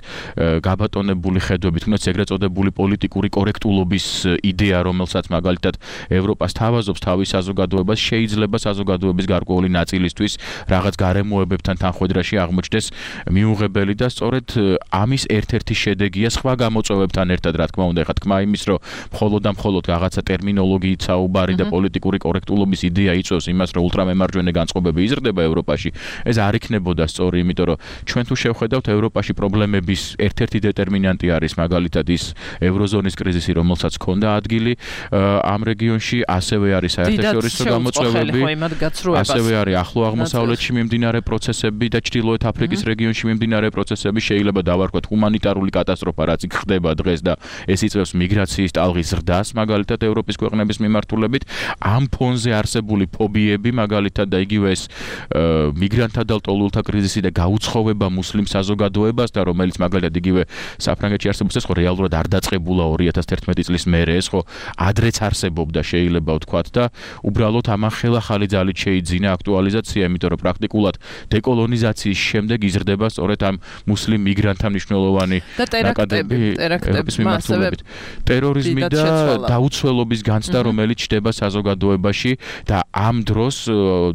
გაბატონებული ხედვები, თუნდაც ეგრეთ წოდებული პოლიტიკური კორექტულობის იდეა, რომელსაც მაგალითად ევროპას თავაზობს თავის საზოგადოებას, შეიძლება საზოგადოების გარკვეული ნაწილისთვის რაღაც გარემოებებთან თანხვედრაში აღმოჩნდეს მიუღებელი და სწორედ ამის ერთ-ერთი შედეგია სხვა გამოწვევებთან ერთად, რა თქმა უნდა, ეხლა თქმა იმის, რომ მხოლოდ და მხოლოდ რაღაცა ტერმინოლოგიით საუბარი და პოლიტიკური კორექტულობის იდეა იწვევს იმას, რომ ულტრამემარჯვენე განწყობები იზრდება ევროპაში, ეს არ იქნებოდა სწორი, იმიტომ რომ ჩვენ თუ შევხედავთ ევროპაში პრობლემების ერთ-ერთი დეტერმინანტი არის მაგალითად ის ევროზონის კრიზისი, რომელსაც ჰქონდა ადგილი ამ რეგიონში, ასევე არის საერთაშორისო გამოწვევები, ასევე არის ახლო აღმოსავლეთში მიმდინარე პროცესები და ჩრდილოეთ აფრიკის რეგიონში მიმდინარე პროცესები, შეიძლება დავარქვათ ჰუმანიტარული კატასტროფა, რაც იქ ხდება დღეს და ეს იწვევს მიგრაციის ტალღის ზრდას, მაგალითად ევროპის ქვეყნების მიმართულებით. ამ ფონზე არსებული ფობიები, მაგალითად და იგივე ეს მიგრანტთა და ლტოლვილთა კრიზისი და გაუცხოვება მუსლიმ საზოგადოებასთან, რომელიც მაგალითად იგივე საფრანგეთში არსებობს, ეს ხო რეალურად არ დაწყებულა 2011 წლის მერე, ეს ხო ადრეც არსებობდა, შეიძლება ვთქვათ და უბრალოდ ამან ხელახალი ძალით შეიძინა აქტუალიზაცია, იმიტომ რომ პრაქტიკულად დეკოლონიზაციის შემდეგ იზრდება სწორედ ამ მუსლიმ მიგრანტთა მნიშვნელოვანი ნაკადები ევროპის მიმართულებით. ტერორიზმი და დაუცველობის განცდა, რომელიც ჩდება საზოგადოებაში და ამ დროს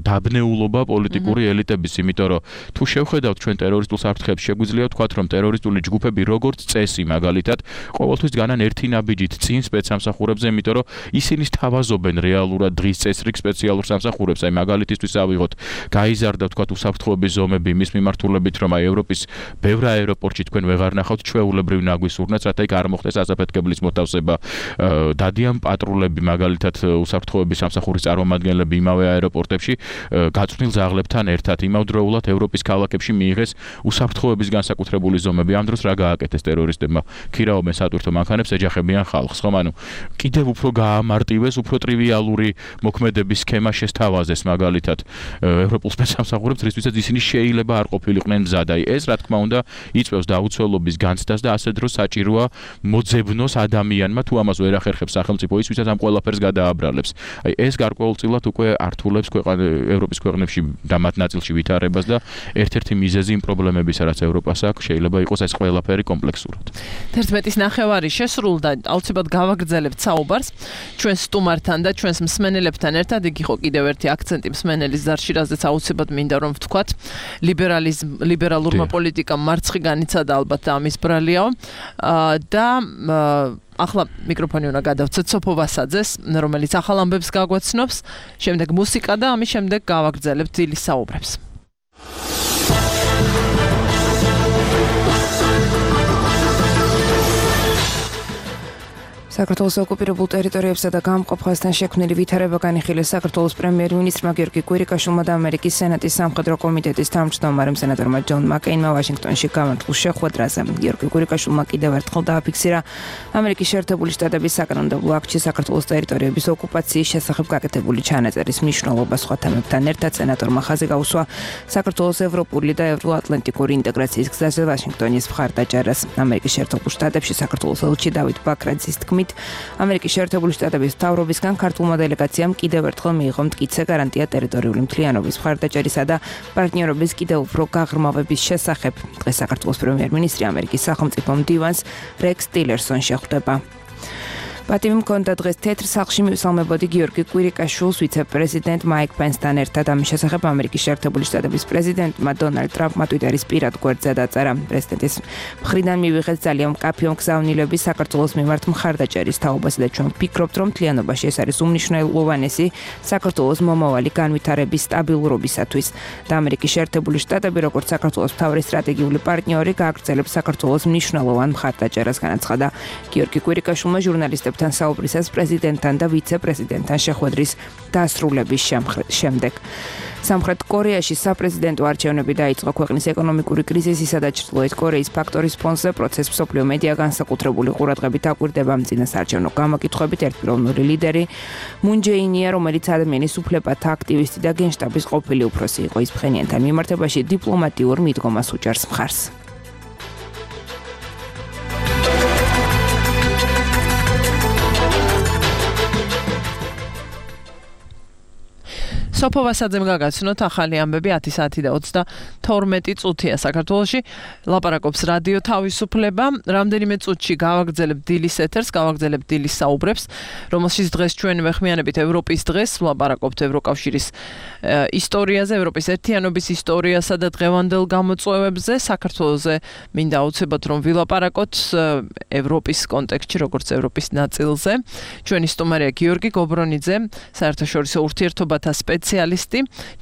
დაბნეულობა პოლიტიკური ელიტების, იმიტომ რომ თუ შევხედავთ ჩვენ ტერორისტულ საფრთხეებს შეგვიძლია ვთქვათ, რომ ტერორისტული ჯგუფები როგორც წესი მაგალითად ყოველთვის განან ერთი ნაბიჯით წინ სპეცსამსახურებზე, იმიტომ რომ ისინი სთავაზობენ რეალურად დღის წესრიგ სპეციალურ სამსახურებს. აი მაგალითისთვის ავიღოთ, გაიზარდა ვთქვათ უსაფრთხოების ზომები მის მიმართულებით, რომ აი ევროპის ბევრ აეროპორტში თქვენ ვეღარ ნახავთ ჩვეულებრივ ნაგვისურნეთს, რათა იქ არ მოხდეს ასაფეთქებლის მოთავსება. დადიან პატრულები მაგალითად უსაფრთხოების სამსახურის წარმომადგენლები იმავე აეროპორტებში გაწვნილ ზაღლებთან ერთად იმავდროულად ევროპის ქალაქებში მიიღეს უსაფრთხოების განსაკუთრებული ზომები. ამ დროს რა გააკეთეს ტერორისტებმა? ქირაობენ სატვირთო მანქანებს, ეჯახებიან ხალხს, ხომ? ანუ კიდევ უფრო გაამარტივეს, უფრო ტრივიალური მოქმედების სქემა შესთავაზეს მაგალითად ევროპულ სპეცსამსახურებს, რისთვისაც ისინი შეიძლება არ ყოფილიყვნენ მზად. აი ეს რა თქმა უნდა იწვევს დაუცველობის განცდას და ასე დროს საჭიროა მოძებნოს ადამიანმა, თუ ამას ვერ ახერხებს სახელმწიფო, ის ვისაც ამ ყველაფერს გადააბრალებს. აი ეს გარკვეულწილად უკვე ართულებს ევროპის ქვეყნებში და მათ ნაწილში ვითარებას და ერთ-ერთი მიზეზი იმ პრობლემებისა, რაც ევროპას აქვს, შეიძლება იყოს ეს ყველაფერი კომპლექსურად. 11:09 შესრულდა, აუცილებლად გავაგრძელებთ საუბარს ჩვენს სტუმართან და ჩვენს მსმენელებთან ერთად. იქ იყო კიდევ ერთი აქცენტი მსმენელის ზარში, რაზეც აუცილებლად მინდა რომ ვთქვათ, ლიბერალურმა პოლიტიკამ მარცხი განიცადა ალბათ და ამის ბრალიაო და ახლა მიკროფონი უნდა გადავცეთ სოფო ვასაძეს, რომელიც ახალ ამბებს გაგვაცნობს, შემდეგ მუსიკა და ამის შემდეგ გავაგრძელებთ დილის საუბრებს. საქართველოს ოკუპირებულ ტერიტორიებსა და გამყოფ ხაზთან შექმნილი ვითარება განიხილეს საქართველოს პრემიერ-მინისტრმა გიორგი კვირიკაშვილმა და ამერიკის სენატის სამხედრო კომიტეტის თავმჯდომარემ სენატორმა ჯონ მაკეინმა ვაშინგტონში გამართულ შეხვედრაზე. გიორგი კვირიკაშვილმა კიდევ ერთხელ დააფიქსირა ამერიკის შეერთებული შტატების საკანონმდებლო აქტში საქართველოს ტერიტორიების ოკუპაციის შესახებ გაკეთებული ჩანაწერის მნიშვნელობა. სხვა თემებთან ერთად სენატორმა ხაზი გაუსვა საქართველოს ევროპული და ევროატლანტიკური ინტეგრაციის გზაზე ვაშინგტონის მხარდაჭერას. ამერიკის შეერთებულ შტატებში საქართველოს ელჩი დავით ბაქრაძის თქმით, ამერიკის შეერთებული შტატების მთავრობისგან ქართულმა დელეგაციამ კიდევ ერთხელ მიიღო მტკიცე გარანტია ტერიტორიული მთლიანობის მხარდაჭერისა და პარტნიორობის კიდევ უფრო გაღრმავების შესახებ. დღეს საქართველოს პრემიერ-მინისტრი ამერიკის სახელმწიფო მდივანს რექს ტილერსონს შეხვდება. პატივი მქონდა დღეს თეთრ სახლში მივსალმებოდი გიორგი კვირიკაშვილს ვიცე-პრეზიდენტ მაიკ პენსთან ერთად. ამის შესახებ ამერიკის შეერთებული შტატების პრეზიდენტმა დონალდ ტრამპმა ტვიტერის პირად გვერდზე დაწერა. პრეზიდენტის მხრიდან მივიღეთ ძალიან მკაფიო მგზავნილები საქართველოს მიმართ მხარდაჭერის თაობაზე და ჩვენ ვფიქრობთ, რომ მთლიანობაში ეს არის უმნიშვნელოვანესი საქართველოს მომავალი განვითარების სტაბილურობისათვის. და ამერიკის შეერთებული შტატები, როგორც საქართველოს მთავარი სტრატეგიული პარტნიორი, გააგრძელებს საქართველოს მნიშვნელოვან მხარდაჭერას, განაცხადა გიორგი კვირიკაშვილმა ჟურნალისტებთან საუბრისას პრეზიდენტთან და ვიცე-პრეზიდენტთან შეხვედრის დასრულების შემდეგ. სამხრეთ კორეაში საპრეზიდენტო არჩევნები დაიწყო. ქვეყნის ეკონომიკური კრიზისისა და ჩრდილოეთ კორეის ფაქტორის ფონზე პროცესს მსოფლიო მედია განსაკუთრებული ყურადღებით აკვირდება. წინასაარჩევნო გამოკითხვებით ერთპიროვნული ლიდერი მუნ ჯეინია, რომელიც ადამიანის უფლებათა აქტივისტი და გენშტაბის ყოფილი უფროსი იყო, ის ფხენიანთან მიმართებაში დიპლომატიურ მიდგომას უჭერს მხარს. სოფო ვასაძემ გაგაცნოთ ახალი ამბები 10 საათი და 32 წუთია საქართველოში. ლაპარაკობს რადიო თავისუფლება. რამდენიმე წუთში გავაგრძელებთ დილის ეთერს, გავაგრძელებთ დილის საუბრებს, რომელშიც დღეს ჩვენ ვეხმიანებით ევროპის დღეს, ვლაპარაკობთ ევროკავშირის ისტორიაზე, ევროპის ერთიანობის ისტორიასა და დღევანდელ გამოწვევებზე. საქართველოზე მინდა აუცილებლად რომ ვილაპარაკოთ ევროპის კონტექსტში, როგორც ევროპის ნაწილზე. ჩვენი სტუმარია გიორგი გობრონიძე, საერთაშორისო ურთიერთობათა სპეციალისტი.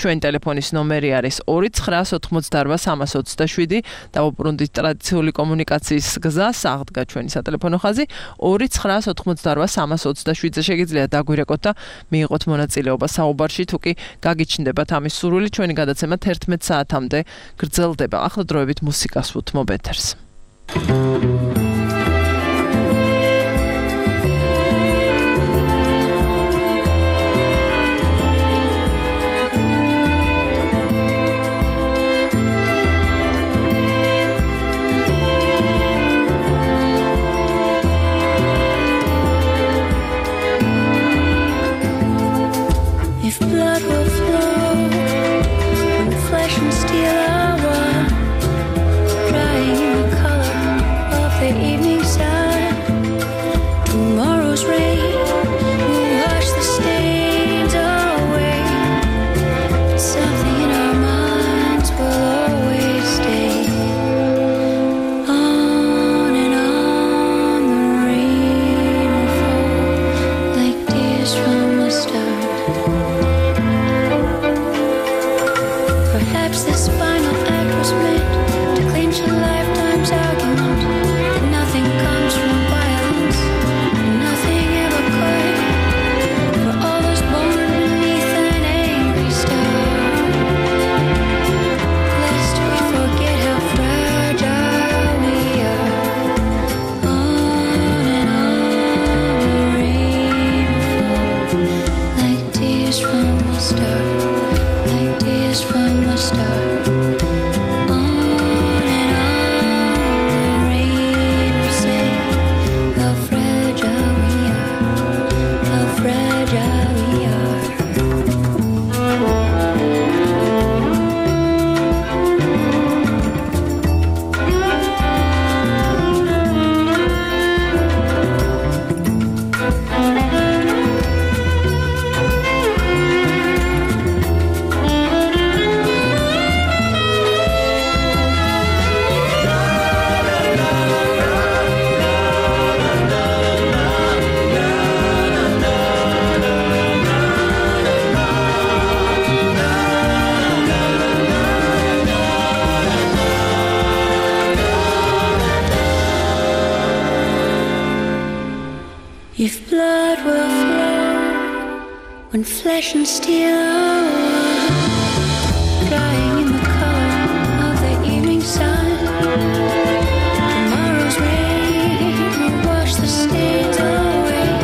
ჩვენი ტელეფონის ნომერი არის 29988 დავუბრუნდით ტრადიციული კომუნიკაციის გზას, აღდგა ჩვენი სატელეფონო ხაზი 29988 შეგიძლიათ დაგვირეკოთ და მიიღოთ მონაწილეობა საუბარში, თუ კი გაგიჩნდებათ ამის სურვილი. ჩვენი გადაცემა 11 საათამდე გრძელდება. ახლა დროებით მუსიკას უთმობ ეთერს. If blood will flow when flesh and steel are one, drying in the color of the evening sun, tomorrow's rain will wash the stains away. Something in our minds will always stay. If blood will flow when flesh and steel are drying in the color of the evening sun, tomorrow's rain will wash the stains away.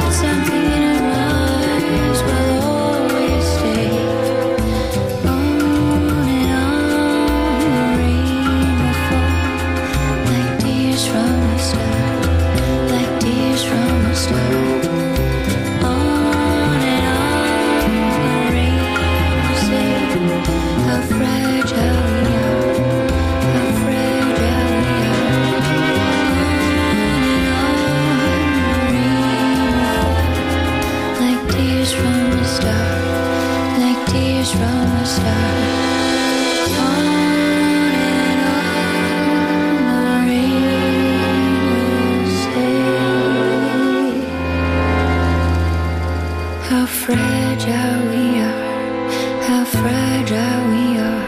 Something in our lives will always stay. On and on, the rain will fall like tears from a star, like tears from a star. On and on, the rain will say how fragile we are, how fragile we are. Like tears from a star, like tears from a star. On and on, the rain will say how fragile we are, how fragile we are,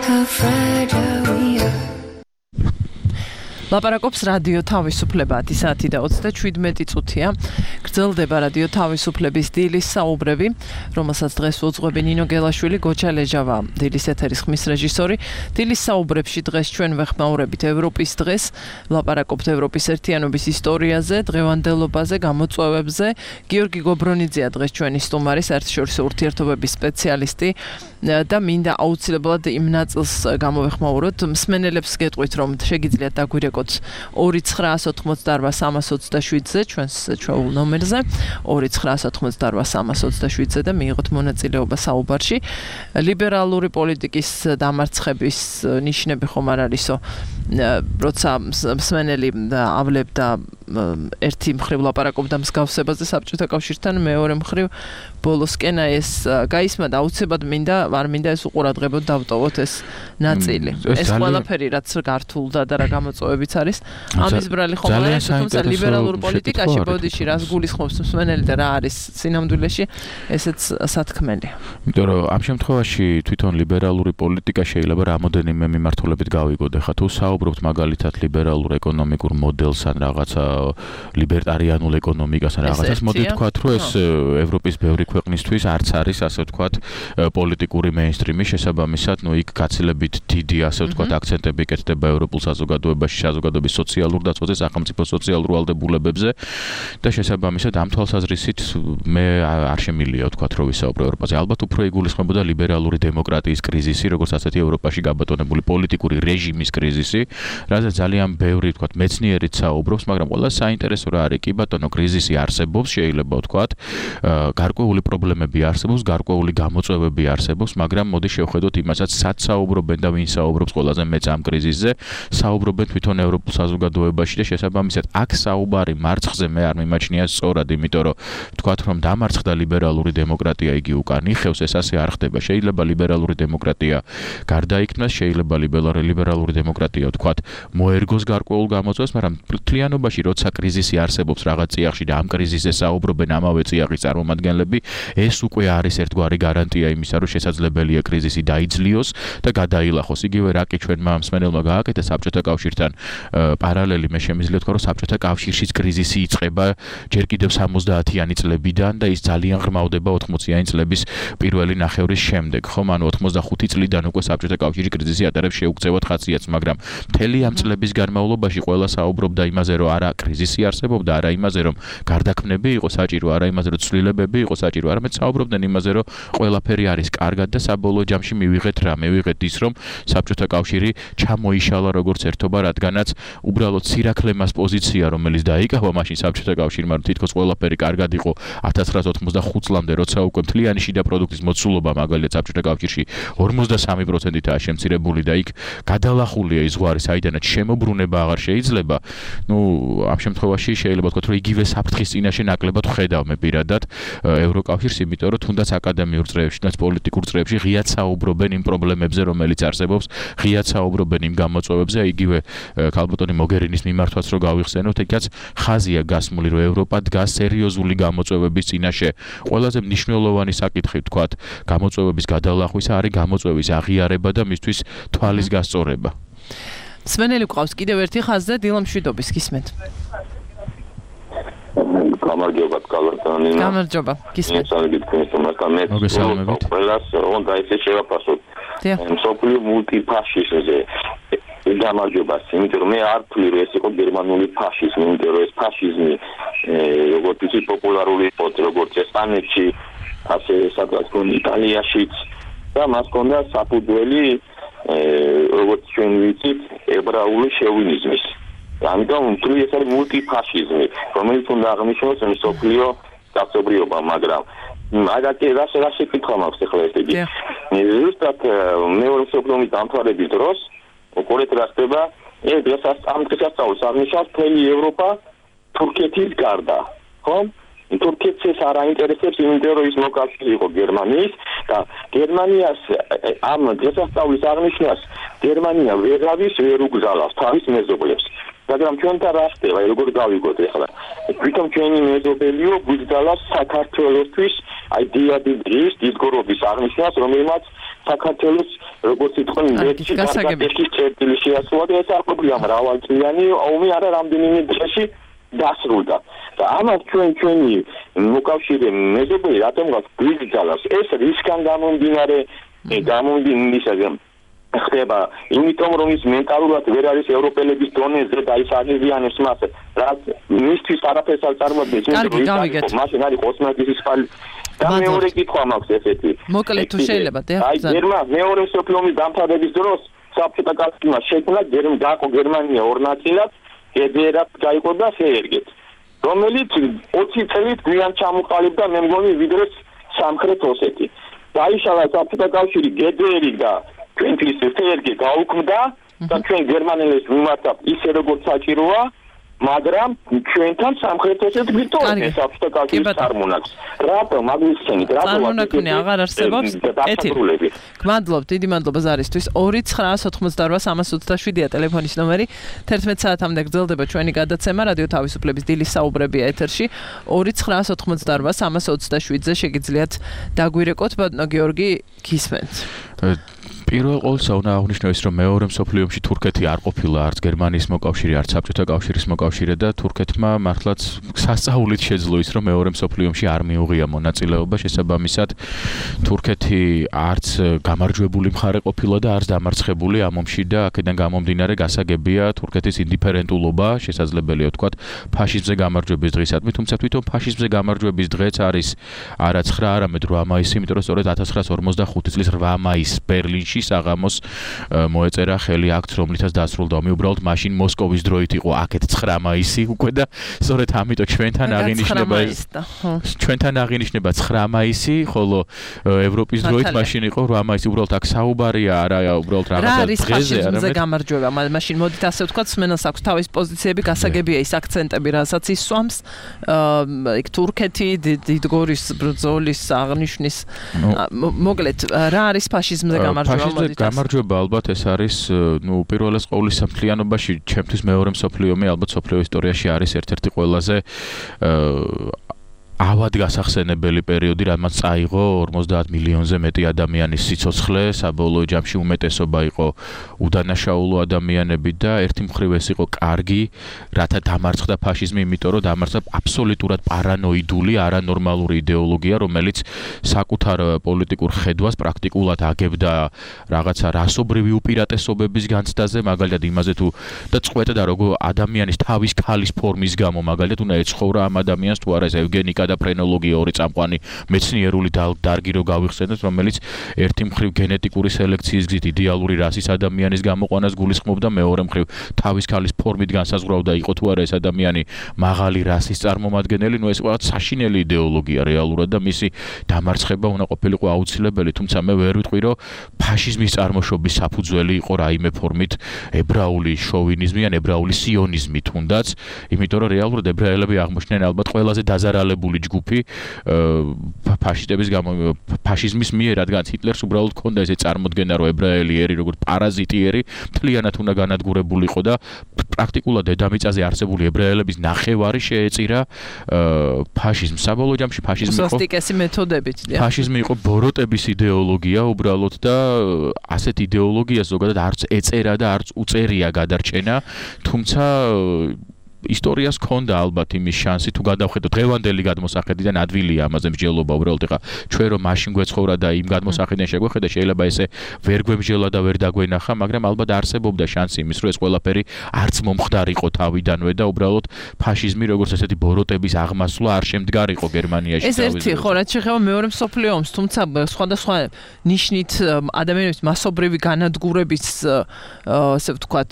how fragile we are. ლაპარაკობს რადიო თავისუფლება 10:27 წუთია. გრძელდება რადიო თავისუფლების დილის საუბრები, რომელსაც დღეს უძღვები ნინო გელაშვილი, გოჩა ლეჟავა, დილის ეთერის ხმის რეჟისორი. დილის საუბრებში დღეს ჩვენ ვეხმაურებით ევროპის დღეს, ლაპარაკობთ ევროპის ერთიანობის ისტორიაზე, დღევანდელობაზე, გამოწვევებზე. გიორგი გობრონიძეა დღეს ჩვენი სტუმარი, საერთაშორისო ურთიერთობების სპეციალისტი და მინდა აუცილებლად იმ ნაწილს გამოვეხმაუროთ. მსმენელებს გეტყვით, რომ შეგიძლიათ დაგვირეკოთ 2988327-ზე ჩვენს ჩვეულ ნომერზე 2988327-ზე და მიიღოთ მონაწილეობა საუბარში. ლიბერალური პოლიტიკის დამარცხების ნიშნები ხომ არ არისო, როცა მსმენელი ავლებდა ერთი მხრივ ლაპარაკობდა მსგავსებაზე საბჭოთა კავშირთან, მეორე მხრივ ბოლოსკენა ეს გაისმა და აუცილებლად არ მინდა ეს უყურადღებოდ დავტოვოთ ეს ნაწილი. ეს ყველაფერი რაც გართულდა და რა გამოწვევებიც არის, ამის ბრალი ხომ არ არის, თუმცა ლიბერალურ პოლიტიკაში ბოდიში რას გულისხმობს მსმენელი და რა არის სინამდვილეში, ესეც სათქმელია. იმიტომ რომ ამ შემთხვევაში თვითონ ლიბერალური პოლიტიკა შეიძლება რამოდენიმე მიმართულებით გავიგოთ. ხა თუ საუბრობთ მაგალითად ლიბერალურ ეკონომიკურ მოდელს ან რაღაცა ლიბერტარიანულ ეკონომიკას ან რაღაცას, მოდი ვთქვათ, რომ ეს ევროპის ბევრი ქვეყნისთვის არც არის ასე ვთქვათ პოლიტიკური მეინსტრიმი, შესაბამისად, იქ გაცილებით დიდი ასე ვთქვათ აქცენტები იკეთება ევროპულ საზოგადოებაში, საზოგადოების სოციალურ დაცვაზე, სახელმწიფო სოციალურ ვალდებულებებზე და შესაბამისად ამ თვალსაზრისით მე არ შემილია ვთქვათ, რომ ვისაუბრო ევროპაზე. ალბათ უფრო იგულისხმებოდა ლიბერალური დემოკრატიის კრიზისი, როგორც ასეთი ევროპაში გაბატონებული პოლიტიკური რეჟიმის კრიზისი, რადგან ძალიან ბევრი ვთქვათ მეცნიერიც საუბრობს, მაგრამ ყველა საინტერესო რა არის, კი ბატონო, კრიზისი არსებობს, შეიძლება ვთქვათ, გარკვეული პრობლემები არსებობს, გარკვეული გამოწვევები არსებობს, მაგრამ მოდი შევხედოთ იმასაც, სად საუბრობენ და ვინ საუბრობს ყველაზე მეც ამ კრიზისზე, საუბრობენ თვითონ ევროპულ საზოგადოებაში და შესაბამისად აქ საუბარი მარცხზე მე არ მიმაჩნია სწორად, იმიტომ რომ ვთქვათ, რომ დამარცხდა ლიბერალური დემოკრატია, იგი უკან იხევს, ეს ასე არ ხდება. შეიძლება ლიბერალური დემოკრატია გარდაიქმნას, შეიძლება ლიბერალური დემოკრატია ვთქვათ, მოერგოს გარკვეულ გამოწვევას, მაგრამ მთლიანობაში როცა კრიზისი არსებობს რაღაც წიაღში და ამ კრიზისზე საუბრობენ ამავე წიაღის წარმომადგენლები, ეს უკვე არის ერთგვარი გარანტია იმისა, რომ შესაძლებელია კრიზისი დაიძლიოს და გადაილახოს. იგივე რა კი ჩვენმა მსმენელმა გააკეთა საბჭოთა კავშირთან პარალელი, მე შემიძლია ვთქვა, რომ საბჭოთა კავშირშიც კრიზისი იწყება ჯერ კიდევ 70-იანი წლებიდან და ის ძალიან ღრმავდება 80-იანი წლების პირველი ნახევრის შემდეგ. ხომ, ანუ 85 წლიდან უკვე საბჭოთა კავშირი კრიზისი ატარებს შეუქცევად ხასიათს, მაგრამ მთელი ამ წლების განმავლობაში ყველა საუბრობდა იმაზე, რომ არა კრიზისი არსებობდა, არა იმაზე, რომ გარდაქმნები იყო საჭირო, არა იმაზე, რომ ცვლილებები იყო საჭირო, არამედ საუბრობდნენ იმაზე, რომ ყველაფერი არის კარგად და საბოლოო ჯამში მივიღეთ რა, მივიღეთ ის, რომ საბჭოთა კავშირი ჩამოიშალა როგორც ერთობა, რადგანაც უბრალოდ სირაქლემას პოზიცია, რომელიც დაიკავა მაშინ საბჭოთა კავშირმა, რომ თითქოს ყველაფერი კარგად იყო 1985 წლამდე, როცა უკვე მთლიანი შიდა პროდუქტის მოცულობა მაგალითად საბჭოთა კავშირში 53%-ითაა შემცირებული და იქ გადალახულია ის ზღვარი, საიდანაც შემოbrunება აღარ შეიძლება. ამ შემთხვევაში შეიძლება ვთქვათ, რომ იგივე საფრთხის წინაშე ნაკლებად ვხედავ მე პირადად ევროკავშირს, იმიტომ რომ თუნდაც აკადემიურ წრეებში, თუნდაც პოლიტიკურ წრეებში ღიად საუბრობენ იმ პრობლემებზე, რომელიც არსებობს, ღიად საუბრობენ იმ გამოწვევებზე, იგივე ქალბატონი მოგერინის მიმართვაც რო გავიხსენოთ, ეგაც ხაზია გასმული, რომ ევროპა დგას სერიოზული გამოწვევების წინაშე. ყველაზე მნიშვნელოვანი საკითხი ვთქვათ, გამოწვევების გადალახვისა არის გამოწვევის აღიარება და მისთვის თვალის გასწორება. მსმენელი გვყავს კიდევ ერთი ხაზზე, დილამშვიდობის, გისმენთ. გამარჯობა კალათანინა. გამარჯობა. გისმენთ. მოგესალმებით. ყველას უნდა ესე შევაფასოთ. მსოფლიო მულტიფაშიზმზე გამარჯობას, იმიტომ რომ მე არ ვთვლი რომ ეს იყო გერმანული ფაშიზმი, იმიტომ რომ ეს ფაშიზმი როგორც იცი პოპულარული იყო როგორც ესპანეთში, ასე სადღაც იტალიაშიც და მას ჰქონდა საფუძველი როგორც ჩვენ ვიცით, ებრაული შოვინიზმის. ამიტომ ვთვლი ეს არის მულტიფაშიზმი, რომელიც უნდა აღნიშნოს მსოფლიო კაცობრიობა, მაგრამ აგათი რა შეკითხვა მაქვს ახლა ეს იგი. ზუსტად მეორე მსოფლიო ომის დამთავრების დროს უყურეთ რა ხდება, ეს ამ დღესასწაულს აღნიშნავს მთელი ევროპა თურქეთის გარდა, ხო? თურქეთს ეს არ აინტერესებს, იმიტომ რომ ის მოკავშირე იყო გერმანიის და გერმანიას ამ დღესასწაულის აღნიშვნას გერმანია ვეღავის ვერ უგზავნავს თავის მეზობლებს. მაგრამ ჩვენთან რა ხდება, როგორ გავიგოთ ახლა? თვითონ ჩვენი მეზობელიო გვიგზავნავს საქართველოსთვის აი დიადი დღის დისგორობის აღნიშვნას, რომელმაც საქართველოს როგორც იტყვენ მეცი გასაგებია წერტილი შეასრულა და ეს არ ყოფილა მრავალწლიანი ომი არა რამდენიმე დღეში დასრულდა და ამას ჩვენი მოკავშირე მეზობელი რატომღაც გვიგზავნავს ეს რისკან გამომდინარე ხდება იმიტომ რომ ის მენტალურად ვერ არის ევროპელების დონეზე და ის აღიზიანებს მას რაც მისთვის არაფერს არ წარმოადგენს მაშინ არის ოსმალეთის ფალი და მეორე კითხვა მაქვს ესეთი მოკლედ თუ შეიძლება აი მეორე მსოფლიო ომის დამთავრების დროს საბჭოთა კავშირმა შექმნა გერმანია ორ ნაწილად გედერად გაიყო და შეერგეთ რომელიც 20 წელით გვიან ჩამოყალიბდა მე მგონი ვიდრე სამხრეთ ოსეთი დაიშალა საბჭოთა კავშირი გედერი და ჩვენთვის შეერგე გაუქმდა და ჩვენ გერმანელებს ვიმართავთ ისე როგორც საჭიროა მაგრამ ჩვენთან სამხრეთ ოსეთი გვიტოვებს საბჭოთა კავშირის წარმონაქმნს რატომ აგიხსენით რატომ წარმონაქმნი აღარ არსებობს ეთილი გმადლობთ დიდი მადლობა ზარისთვის 2988327-ია ტელეფონის ნომერი 11 საათამდე გრძელდება ჩვენი გადაცემა რადიო თავისუფლების დილის საუბრებია ეთერში 2988327-ზე შეგიძლიათ დაგვირეკოთ ბატონო გიორგი გისმენთ პირველ ყოვლისა უნდა აღნიშნოს რომ მეორე მსოფლიო ომში თურქეთი არ ყოფილა არც გერმანიის მოკავშირე არც საბჭოთა კავშირის მოკავშირე და თურქეთმა მართლაც სასწაულით შეძლო ის რომ მეორე მსოფლიო ომში არ მიუღია მონაწილეობა შესაბამისად თურქეთი არც გამარჯვებული მხარე ყოფილა და არც დამარცხებული ამ ომში და აქედან გამომდინარე გასაგებია თურქეთის ინდიფერენტულობა შესაძლებელია ვთქვათ ფაშიზმზე გამარჯვების დღისადმი თუმცა თვითონ ფაშიზმზე გამარჯვების დღეც არის არა 9 არამედ 8 მაისი იმიტომ რომ სწორედ 1945 წლის 8 მაისს ბერლინში საღამოს მოეწერა ხელი აქტს რომლითაც დასრულდა ომი უბრალოდ მაშინ მოსკოვის დროით იყო აქეთ 9 მაისი უკვე და სწორედ ამიტომ ჩვენთან აღინიშნება 9 მაისი ხოლო ევროპის დროით მაშინ იყო 8 მაისი უბრალოდ აქ საუბარია არა უბრალოდ რაღაცა დღეზე არა გამარჯვება მაშინ მოდით ასე ვთქვათ სმენელს აქვს თავის პოზიციები გასაგებია ის აქცენტები რასაც ის სვამს იქ თურქეთი დიდგორის ბრძოლის აღნიშვნის მოკლედ რა არის ფაშიზმზე გამარჯვება გამარჯვება ალბათ ეს არის პირველეს ყოვლისა მთლიანობაში ჩემთვის მეორე მსოფლიო ომი ალბათ მსოფლიო ისტორიაში არის ერთ-ერთი ყველაზე ავად გასახსენებელი პერიოდი, რამაც წაიღო 50 მილიონზე მეტი ადამიანის სიცოცხლე, საბოლოო ჯამში უმეტესობა იყო უდანაშაულო ადამიანები და ერთი მხრივ ეს იყო კარგი, რათა დამარცხდა ფაშიზმი, იმიტომ რომ დამარცხდა აბსოლუტურად პარანოიდული, არანორმალური იდეოლოგია, რომელიც საკუთარ პოლიტიკურ ხედვას პრაქტიკულად აგებდა რაღაცა რასობრივი უპირატესობების განცდაზე, მაგალითად იმაზე თუ და წყვეტდა როგორ ადამიანის თავის ქალის ფორმის გამო, მაგალითად უნდა ეცხოვრა ამ ადამიანს თუ არა ეს ევგენიკა და ფრენოლოგია ორი წამყვანი მეცნიერული დარგი რო გავიხსენოთ, რომელიც ერთი მხრივ გენეტიკური სელექციის გზით იდეალური რასის ადამიანის გამოყვანას გულისხმობდა, მეორე მხრივ თავის ქალის ფორმით განსაზღვრავდა იყო თუ არა ეს ადამიანი მაღალი რასის წარმომადგენელი, ეს ყველა საშინელი იდეოლოგია რეალურად და მისი დამარცხება უნდა ყოფილიყო აუცილებელი, თუმცა მე ვერ ვიტყვი რომ ფაშიზმის წარმოშობის საფუძველი იყო რაიმე ფორმით ებრაული შოვინიზმი ან ებრაული სიონიზმი თუნდაც, იმიტომ რომ რეალურად ებრაელები აღმოჩნდნენ ალბათ ყველაზე დაზარალებული ჯგუფი ფაშისტების ფაშიზმის მიერ, რადგან ჰიტლერს უბრალოდ ჰქონდა ესე წარმოდგენა, რომ ებრაელი ერი როგორც პარაზიტი ერი მთლიანად უნდა განადგურებულიყო და პრაქტიკულად დედამიწაზე არსებული ებრაელების ნახევარი შეეწირა ფაშიზმს. საბოლოო ჯამში ფაშიზმი იყო უსტიკესი მეთოდებით. ფაშიზმი იყო ბოროტების იდეოლოგია უბრალოდ და ასეთ იდეოლოგიას ზოგადად არც ეწერა და არც უწერია გადარჩენა, თუმცა ისტორიას ქონდა ალბათ იმის შანსი თუ გადავხედოთ დღევანდელი გადმოსახედიდან ადვილია ამაზე მსჯელობა უბრალოდ ეხა ჩვენ რომ მაშინ გვეცხოვრა და იმ გადმოსახედიდან შეგვეხედა შეიძლება ესე ვერ გვემსჯელა და ვერ დაგვენახა მაგრამ ალბათ არსებობდა შანსი იმის რომ ეს ყველაფერი არც მომხდარიყო თავიდანვე და უბრალოდ ფაშიზმი როგორც ესეთი ბოროტების აღმასვლა არ შემდგარიყო გერმანიაში ეს ერთი ხო რაც შეეხება მეორე მსოფლიო ომს თუმცა სხვადასხვა ნიშნით ადამიანების მასობრივი განადგურების ასე ვთქვათ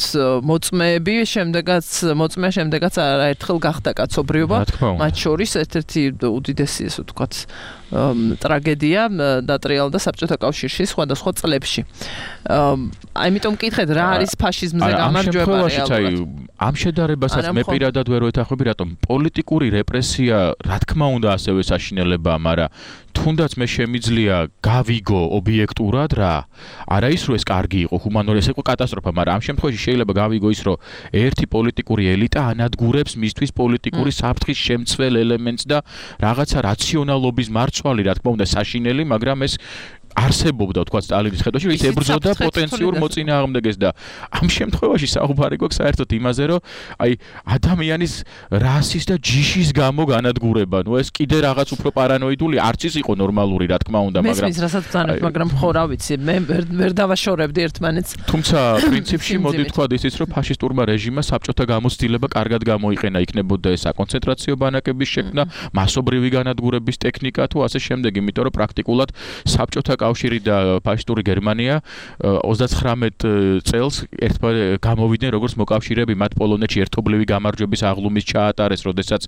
მოწმეები შემდეგაც არაერთხელ გახდა კაცობრიობა მათ შორის ერთ-ერთი უდიდესი ასე ვთქვათ ტრაგედია დატრიალდა საბჭოთა კავშირში სხვადასხვა წლებში. ამიტომ მკითხეთ რა არის ფაშიზმზე გამარჯვება რეალურად. ამ შედარებასაც მე პირადად ვერ ვეთანხმები, რატომ პოლიტიკური რეპრესია რა თქმა უნდა ასევე საშინელებაა, მაგრამ თუნდაც მე შემიძლია გავიგო ობიექტურად რა. არა ის რომ ეს კარგი იყო, ჰუმანური ეს იყო კატასტროფა, მაგრამ ამ შემთხვევაში შეიძლება გავიგო ის რომ ერთი პოლიტიკური ელიტა ანადგურებს მისთვის პოლიტიკური საფრთხის შემცველ ელემენტს და რაღაცა რაციონალობის მარცვალი რა თქმა უნდა საშინელი, მაგრამ ეს არსებობდა თქვა სტალინის ხედვაში, ის ებრძოდა პოტენციურ მოწინააღმდეგეს და ამ შემთხვევაში საუბარი გვაქვს საერთოდ იმაზე, რომ აი ადამიანის რასის და ჯიშის გამო განადგურება, ნუ ეს კიდე რაღაც უფრო პარანოიდული არც ის იყო ნორმალური, რა თქმა უნდა, მაგრამ მესმის რასაც ბრძანებთ, მაგრამ ხო რა ვიცი, მე ვერ დავაშორებდი ერთმანეთს. თუმცა პრინციპში მოდი თქვა ისიც, რომ ფაშისტურმა რეჟიმმა საბჭოთა გამოცდილება კარგად გამოიყენა, იქნებოდა ეს საკონცენტრაციო ბანაკების შექმნა, მასობრივი განადგურების ტექნიკა თუ ასე შემდეგ, იმიტომ რომ პრაქტიკულად საბჭოთა კავშირი და ფაშისტური გერმანია 39 წელს ერთმანეთს გამოვიდნენ როგორც მოკავშირეები მათ პოლონეთში ერთობლივი გამარჯვების აღლუმის ჩაატარეს, როდესაც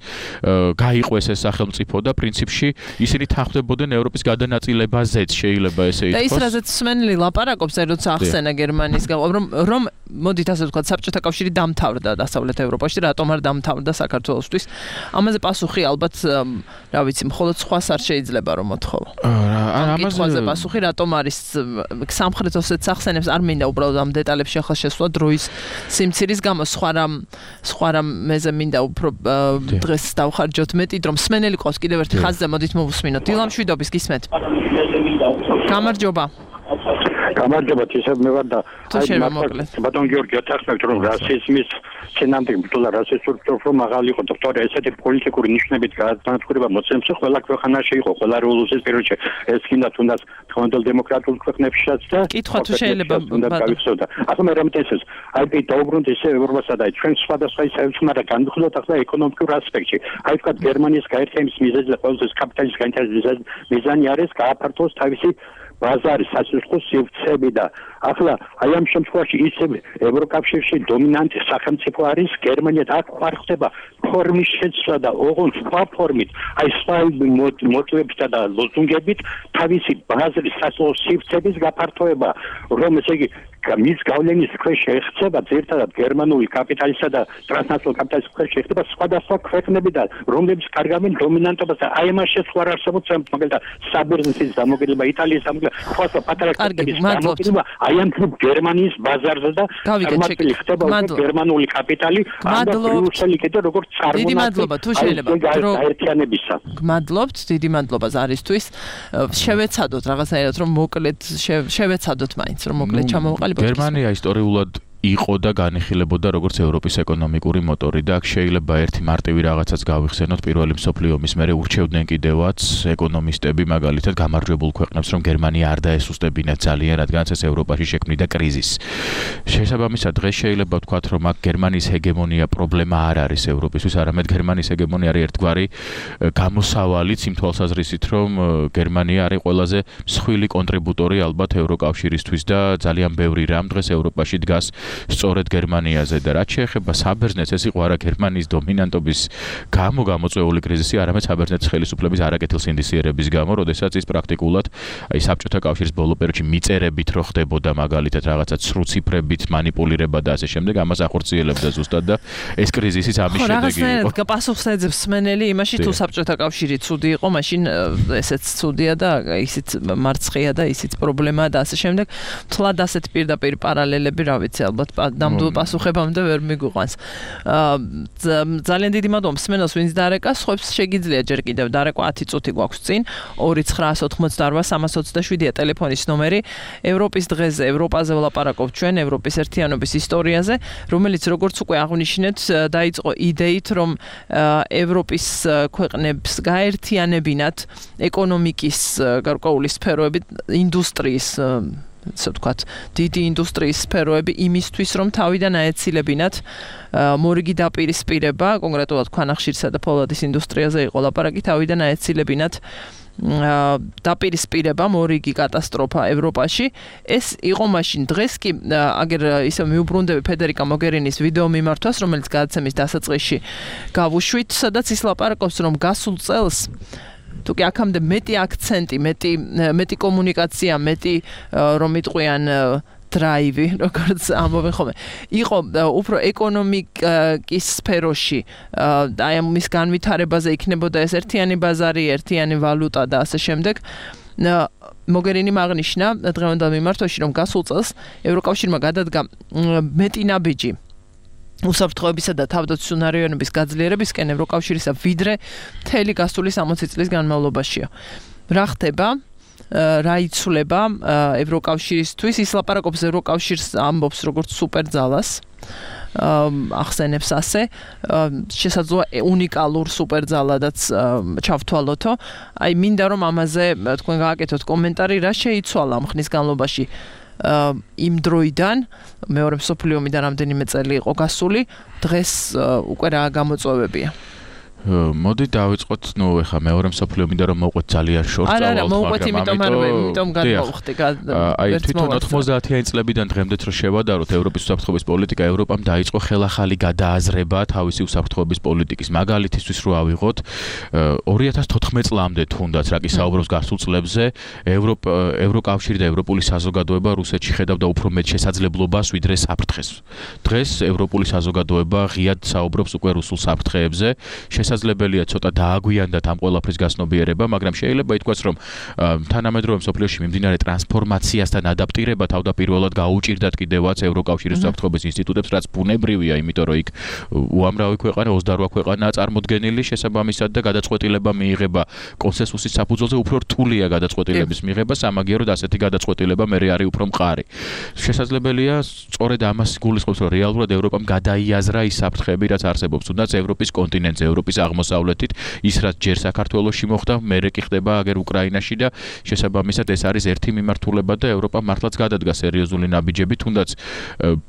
გაიყვეს ეს სახელმწიფო და პრინციპში ისინი თანხმდებოდნენ ევროპის გადანაწილებაზეც შეიძლება ესე ითქვას. და ის რაზეც სმენელი ლაპარაკობს, როცა ახსენა გერმანიის რომ მოდით ასე ვთქვათ საბჭოთა კავშირი დამთავრდა დასავლეთ ევროპაში, რატომ არ დამთავრდა საქართველოსთვის? ამაზე პასუხი ალბათ რა ვიცი, მხოლოდ სხვას არ შეიძლება რომ მოთხოვო. ამაზე პასუხი რატომ არის სამხრეთ ოსეთს ახსენებს არ მინდა უბრალოდ ამ დეტალებში ახლა შესვლა დროის სიმცირის გამო სხვა რამ მეზე მინდა უფრო დღეს დავხარჯოთ მეტი რომ სმენელი ყავს კიდევ ერთი ხაზზე მოდით მოვუსმინოთ დილამშვიდობის გისმენთ გამარჯობა ისევ მე ვარ და ბატონ გიორგი ათახმევთ რომ რასიზმის წინამდე ბრძოლა რასისტურ პროფილ მაღალი იყო დოქტორი ესეთი პოლიტიკური ნიშნებით განადგურება მოცემს ყველა ქვეყანაში იყო ყველა რევოლუციის პერიოდში ეს კიდე თუნდაც თქვენდელ დემოკრატიულ ქვეყნებშიც და კითხვა თუ შეიძლება გავიხსოვდა ახლა მე რამე ეს აი დაუბრუნდით ესე ევროპასა და ჩვენ სხვადასხვა ისევ და განვიხილოთ ახლა ეკონომიკურ ასპექტში აი თქვა გერმანიის გაერთიანების მიზეზი და ყოველთვის კაპიტალის გაერთიანების მიზანი არის გააფართოს თავისი ბაზარი სასუსხო სივრცეები და ახლა აი ამ შემთხვევაში ისევ ევროკავშირში დომინანტი სახელმწიფო არის გერმანია და აქ არ ხდება ფორმის შეცვლა და ოღონდ სხვა ფორმით აი სხვა მოტივებითა და ლოზუნგებით თავისი ბაზრის სასუსხო სივრცეების გაფართოება რომ ესე იგი მის გავლენის ქვეშ შეეხება ძირთადად გერმანული კაპიტალისა და ტრანსნაციონალური კაპიტალის ქვეშ შეეხება სხვადასხვა ქვეყნებიდან რომლებიც კარგავენ დომინანტობას და აი ამას შეცვლა არ არსებობს მაგალითად საბერძნეთის დამოკიდება იტალიის დამოკიდება სხვა პატარა ქვეყნების დამოკიდება აი ამ გერმანიის ბაზარზე და წარმატებული ხდება გერმანული კაპიტალი და ბრიუსელი კიდე როგორც წარმატება თუ შეიძლება გაერთიანებისა გმადლობთ დიდი მადლობა ზარისთვის შევეცადოთ რაღაცნაირად რომ მოკლედ შევეცადოთ მაინც რომ მოკლედ ჩამოვყალიბოთ გერმანია ისტორიულად იყო და განიხილებოდა როგორც ევროპის ეკონომიკური მოტორი და აქ შეიძლება ერთი მარტივი რაღაცაც გავიხსენოთ პირველი მსოფლიო ომის მერე ურჩევდნენ კიდევაც ეკონომისტები მაგალითად გამარჯვებულ ქვეყნებს რომ გერმანია არ დაესუსტებინათ ძალიან რადგანაც ეს ევროპაში შექმნიდა კრიზისს შესაბამისად დღეს შეიძლება ვთქვათ რომ აქ გერმანიის ჰეგემონია პრობლემა არ არის ევროპისთვის არამედ გერმანიის ჰეგემონია არის ერთგვარი გამოსავალიც იმ თვალსაზრისით რომ გერმანია არის ყველაზე მსხვილი კონტრიბუტორი ალბათ ევროკავშირისთვის და ძალიან ბევრი რამ დღეს ევროპაში დგას სწორედ გერმანიაზე და რაც შეეხება საბერძნეთს ეს იყო არა გერმანიის დომინანტობის გამო გამოწვეული კრიზისი, არამედ საბერძნეთის ხელისუფლების არაკეთილსინდისიერების გამო, როდესაც ის პრაქტიკულად აი საბჭოთა კავშირის ბოლო პერიოდში მიწერებით რო ხდებოდა მაგალითად რაღაცა ცრუ ციფრებით манипуლირება და ასე შემდეგ, ამას ახორციელებდა ზუსტად და ეს კრიზისიც ამის შედეგი იყო. რაღაცნაირად პასუხს ეძებს სმენელი იმაში თუ საბჭოთა კავშირი ცუდი იყო, მაშინ ესეც ცუდია და ისიც მარცხია და ისიც პრობლემაა და ასე შემდეგ. თლად ასეთ პირდაპირ პარალელები რა ვიცი ალბათ ალბათ ნამდვილ პასუხებამდე ვერ მიგვიყვანს. ძალიან დიდი მადლობა მსმენელს, ვინც დარეკა, სხვებს შეგიძლიათ ჯერ კიდევ დარეკვა 10 წუთი გვაქვს წინ 2988-327-ია ტელეფონის ნომერი. ევროპის დღეზე, ევროპაზე ვლაპარაკობთ ჩვენ, ევროპის ერთიანობის ისტორიაზე, რომელიც როგორც უკვე აღნიშნეთ, დაიწყო იდეით, რომ ევროპის ქვეყნებს გაერთიანებინათ ეკონომიკის გარკვეული სფეროები, ინდუსტრიის ასე ვთქვათ, დიდი ინდუსტრიის სფეროები იმისთვის, რომ თავიდან აეცილებინათ მორიგი დაპირისპირება, კონკრეტულად ქვანახშირსა და ფოლადის ინდუსტრიაზე იყო ლაპარაკი, თავიდან აეცილებინათ დაპირისპირება, მორიგი კატასტროფა ევროპაში. ეს იყო მაშინ. დღეს კი აგერ ისე მიუბრუნდები ფედერიკა მოგერინის ვიდეო მიმართვას, რომელიც გადაცემის დასაწყისში გავუშვით, სადაც ის ლაპარაკობს, რომ გასულ წელს თუ კი აქამდე მეტი აქცენტი, მეტი კომუნიკაცია, მეტი რომ იტყვიან დრაივი, როგორც ამბობენ ხოლმე, იყო უფრო ეკონომიკის სფეროში, აი ამის განვითარებაზე იქნებოდა ეს ერთიანი ბაზარი, ერთიანი ვალუტა და ასე შემდეგ. მოგერინი აღნიშნა დღევანდელ მიმართვაში, რომ გასულ წელს ევროკავშირმა გადადგა მეტი ნაბიჯი უსაფრთხოებისა და თავდაცვის უნარიანობის გაძლიერებისკენ ევროკავშირისა, ვიდრე მთელი გასული 60 წლის განმავლობაშია. რა ხდება? რა იცვლება ევროკავშირისთვის? ის ლაპარაკობს ევროკავშირს, ამბობს როგორც სუპერძალას. ახსენებს ასე, შესაძლოა უნიკალურ სუპერძალადაც ჩავთვალოთო. აი მინდა რომ ამაზე თქვენ გააკეთოთ კომენტარი, რა შეიცვალა ამ ხნის განმავლობაში იმ დროიდან, მეორე მსოფლიო ომიდან რამდენიმე წელი იყო გასული, დღეს უკვე რა გამოწვევებია? მოდი დავიწყოთ, ეხა მეორე მსოფლიო ომიდან რომ მოვყვეთ ძალიან შორს წავალთ, მაგრამ მოვყვეთ იმიტომ გადმოვხდი. აი თვითონ 90-იანი წლებიდან დღემდეც რო შევადაროთ ევროპის უსაფრთხოების პოლიტიკა, ევროპამ დაიწყო ხელახალი გადააზრება თავისი უსაფრთხოების პოლიტიკის. მაგალითისთვის რო ავიღოთ, 2014 წლამდე თუნდაც რა კი საუბრობს გასულ წლებზე, ევროკავშირი და ევროპული საზოგადოება რუსეთში ხედავდა უფრო მეტ შესაძლებლობას ვიდრე საფრთხეს. დღეს ევროპული საზოგადოება ღიად საუბრობს უკვე რუსულ საფრთხეებზე. შესაძლებელია ცოტა დააგვიანდათ ამ ყველაფრის გასნობიერება, მაგრამ შეიძლება ითქვას, რომ თანამედროვე მსოფლიოში მიმდინარე ტრანსფორმაციასთან ადაპტირება თავდაპირველად გაუჭირდათ კიდევაც ევროკავშირის უსაფრთხოების ინსტიტუტებს, რაც ბუნებრივია, იმიტომ რომ იქ უამრავი ქვეყანა, 28 ქვეყანაა წარმოდგენილი, შესაბამისად და გადაწყვეტილება მიიღება კონსენსუსის საფუძველზე, უფრო რთულია გადაწყვეტილების მიღება, სამაგიეროდ ასეთი გადაწყვეტილება მე არის უფრო მყარი. შესაძლებელია სწორედ ამას გულისხმობს, რომ რეალურად ევროპამ გადაიაზრა ის საფრთხეები, რაც არსებობს, თუნდაც ევროპის კონტინენტზე, ევროპის აღმოსავლეთით, ის რაც ჯერ საქართველოში მოხდა, მერე კი ხდება აგერ უკრაინაში და შესაბამისად ეს არის ერთი მიმართულება და ევროპა მართლაც გადადგა სერიოზული ნაბიჯები, თუნდაც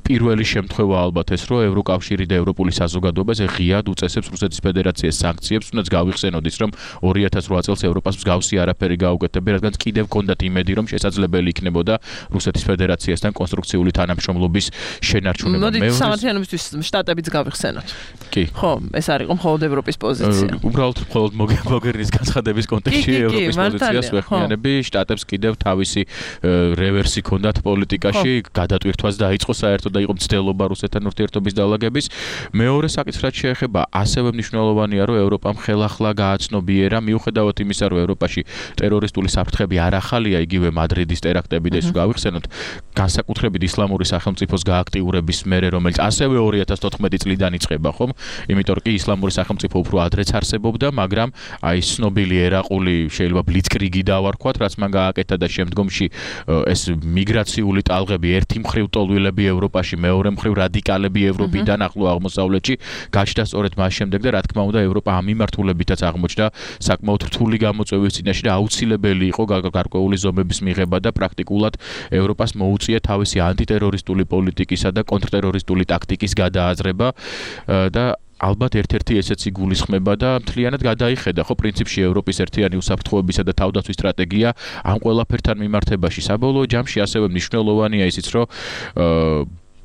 პირველი შემთხვევა ალბათ ეს, რომ ევროკავშირი და ევროპული საზოგადოება ღიად უწესებს რუსეთის ფედერაციას სანქციებს, თუნდაც გავიხსენოთ ის, რომ 2008 წელს ევროპას მსგავსი არაფერი გაუკეთებია, რადგან კიდევ ჰქონდათ იმედი, რომ შესაძლებელი იქნებოდა რუსეთის ფედერაციასთან კონსტრუქციული თანამშრომლობის შენარჩუნება. მოდით სამართლიანობისთვის შტატებიც გავიხსენოთ. კი. ხო, ეს არის მხოლოდ ევროპის პოზიცია. უბრალოდ მხოლოდ მოგერნის განცხადების კონტექსტში ევროპის პოზიციას ვეხმიანები, შტატებს კიდევ თავისი რევერსი ჰქონდათ პოლიტიკაში, გადატვირთვაც დაიწყო საერთოდ და იყო მცდელობა რუსეთთან ურთიერთობის დაალაგების. მეორე საკითხი რაც შეეხება, ასევე მნიშვნელოვანია, რომ ევროპამ ხელახლა გააცნობიერა, მიუხედავად იმისა, რომ ევროპაში ტერორისტული საფრთხები არ ახალია, იგივე მადრიდის ტერაქტები და ეს გავიხსენოთ, განსაკუთრებით ისლამური სახელმწიფოს გააქტიურების მერე, რომელიც ასევე 2014 წლიდან იწყება, ხომ? იმიტომ რომ კი ისლამური სახელმწიფო უფრო ადრეც არსებობდა, მაგრამ აი ცნობილი ერაყული შეიძლება ბლიცკრიგი დავარქვათ, რაც მან გააკეთა და შემდგომში ეს მიგრაციული ტალღები, ერთი მხრივ ტოლვილები ევროპაში, მეორე მხრივ რადიკალები ევროპიდან ახლო აღმოსავლეთში გაჩნდა სწორედ მას შემდეგ და რა თქმა უნდა ევროპა ამ მიმართულებითაც აღმოჩნდა საკმაოდ რთული გამოწვევის წინაშე და აუცილებელი იყო გარკვეული ზომების მიღება და პრაქტიკულად ევროპას მოუწია თავისი ანტიტერორისტული პოლიტიკისა და კონტრტერორისტული ტაქტიკის გადააზრება და ალბათ ერთ-ერთი ესეც იგულისხმება და მთლიანად გადაიხედა ხო პრინციპში ევროპის ერთიანი უსაფრთხოებისა და თავდაცვის სტრატეგია ამ ყველაფერთან მიმართებაში. საბოლოო ჯამში ასევე მნიშვნელოვანია ისიც, რომ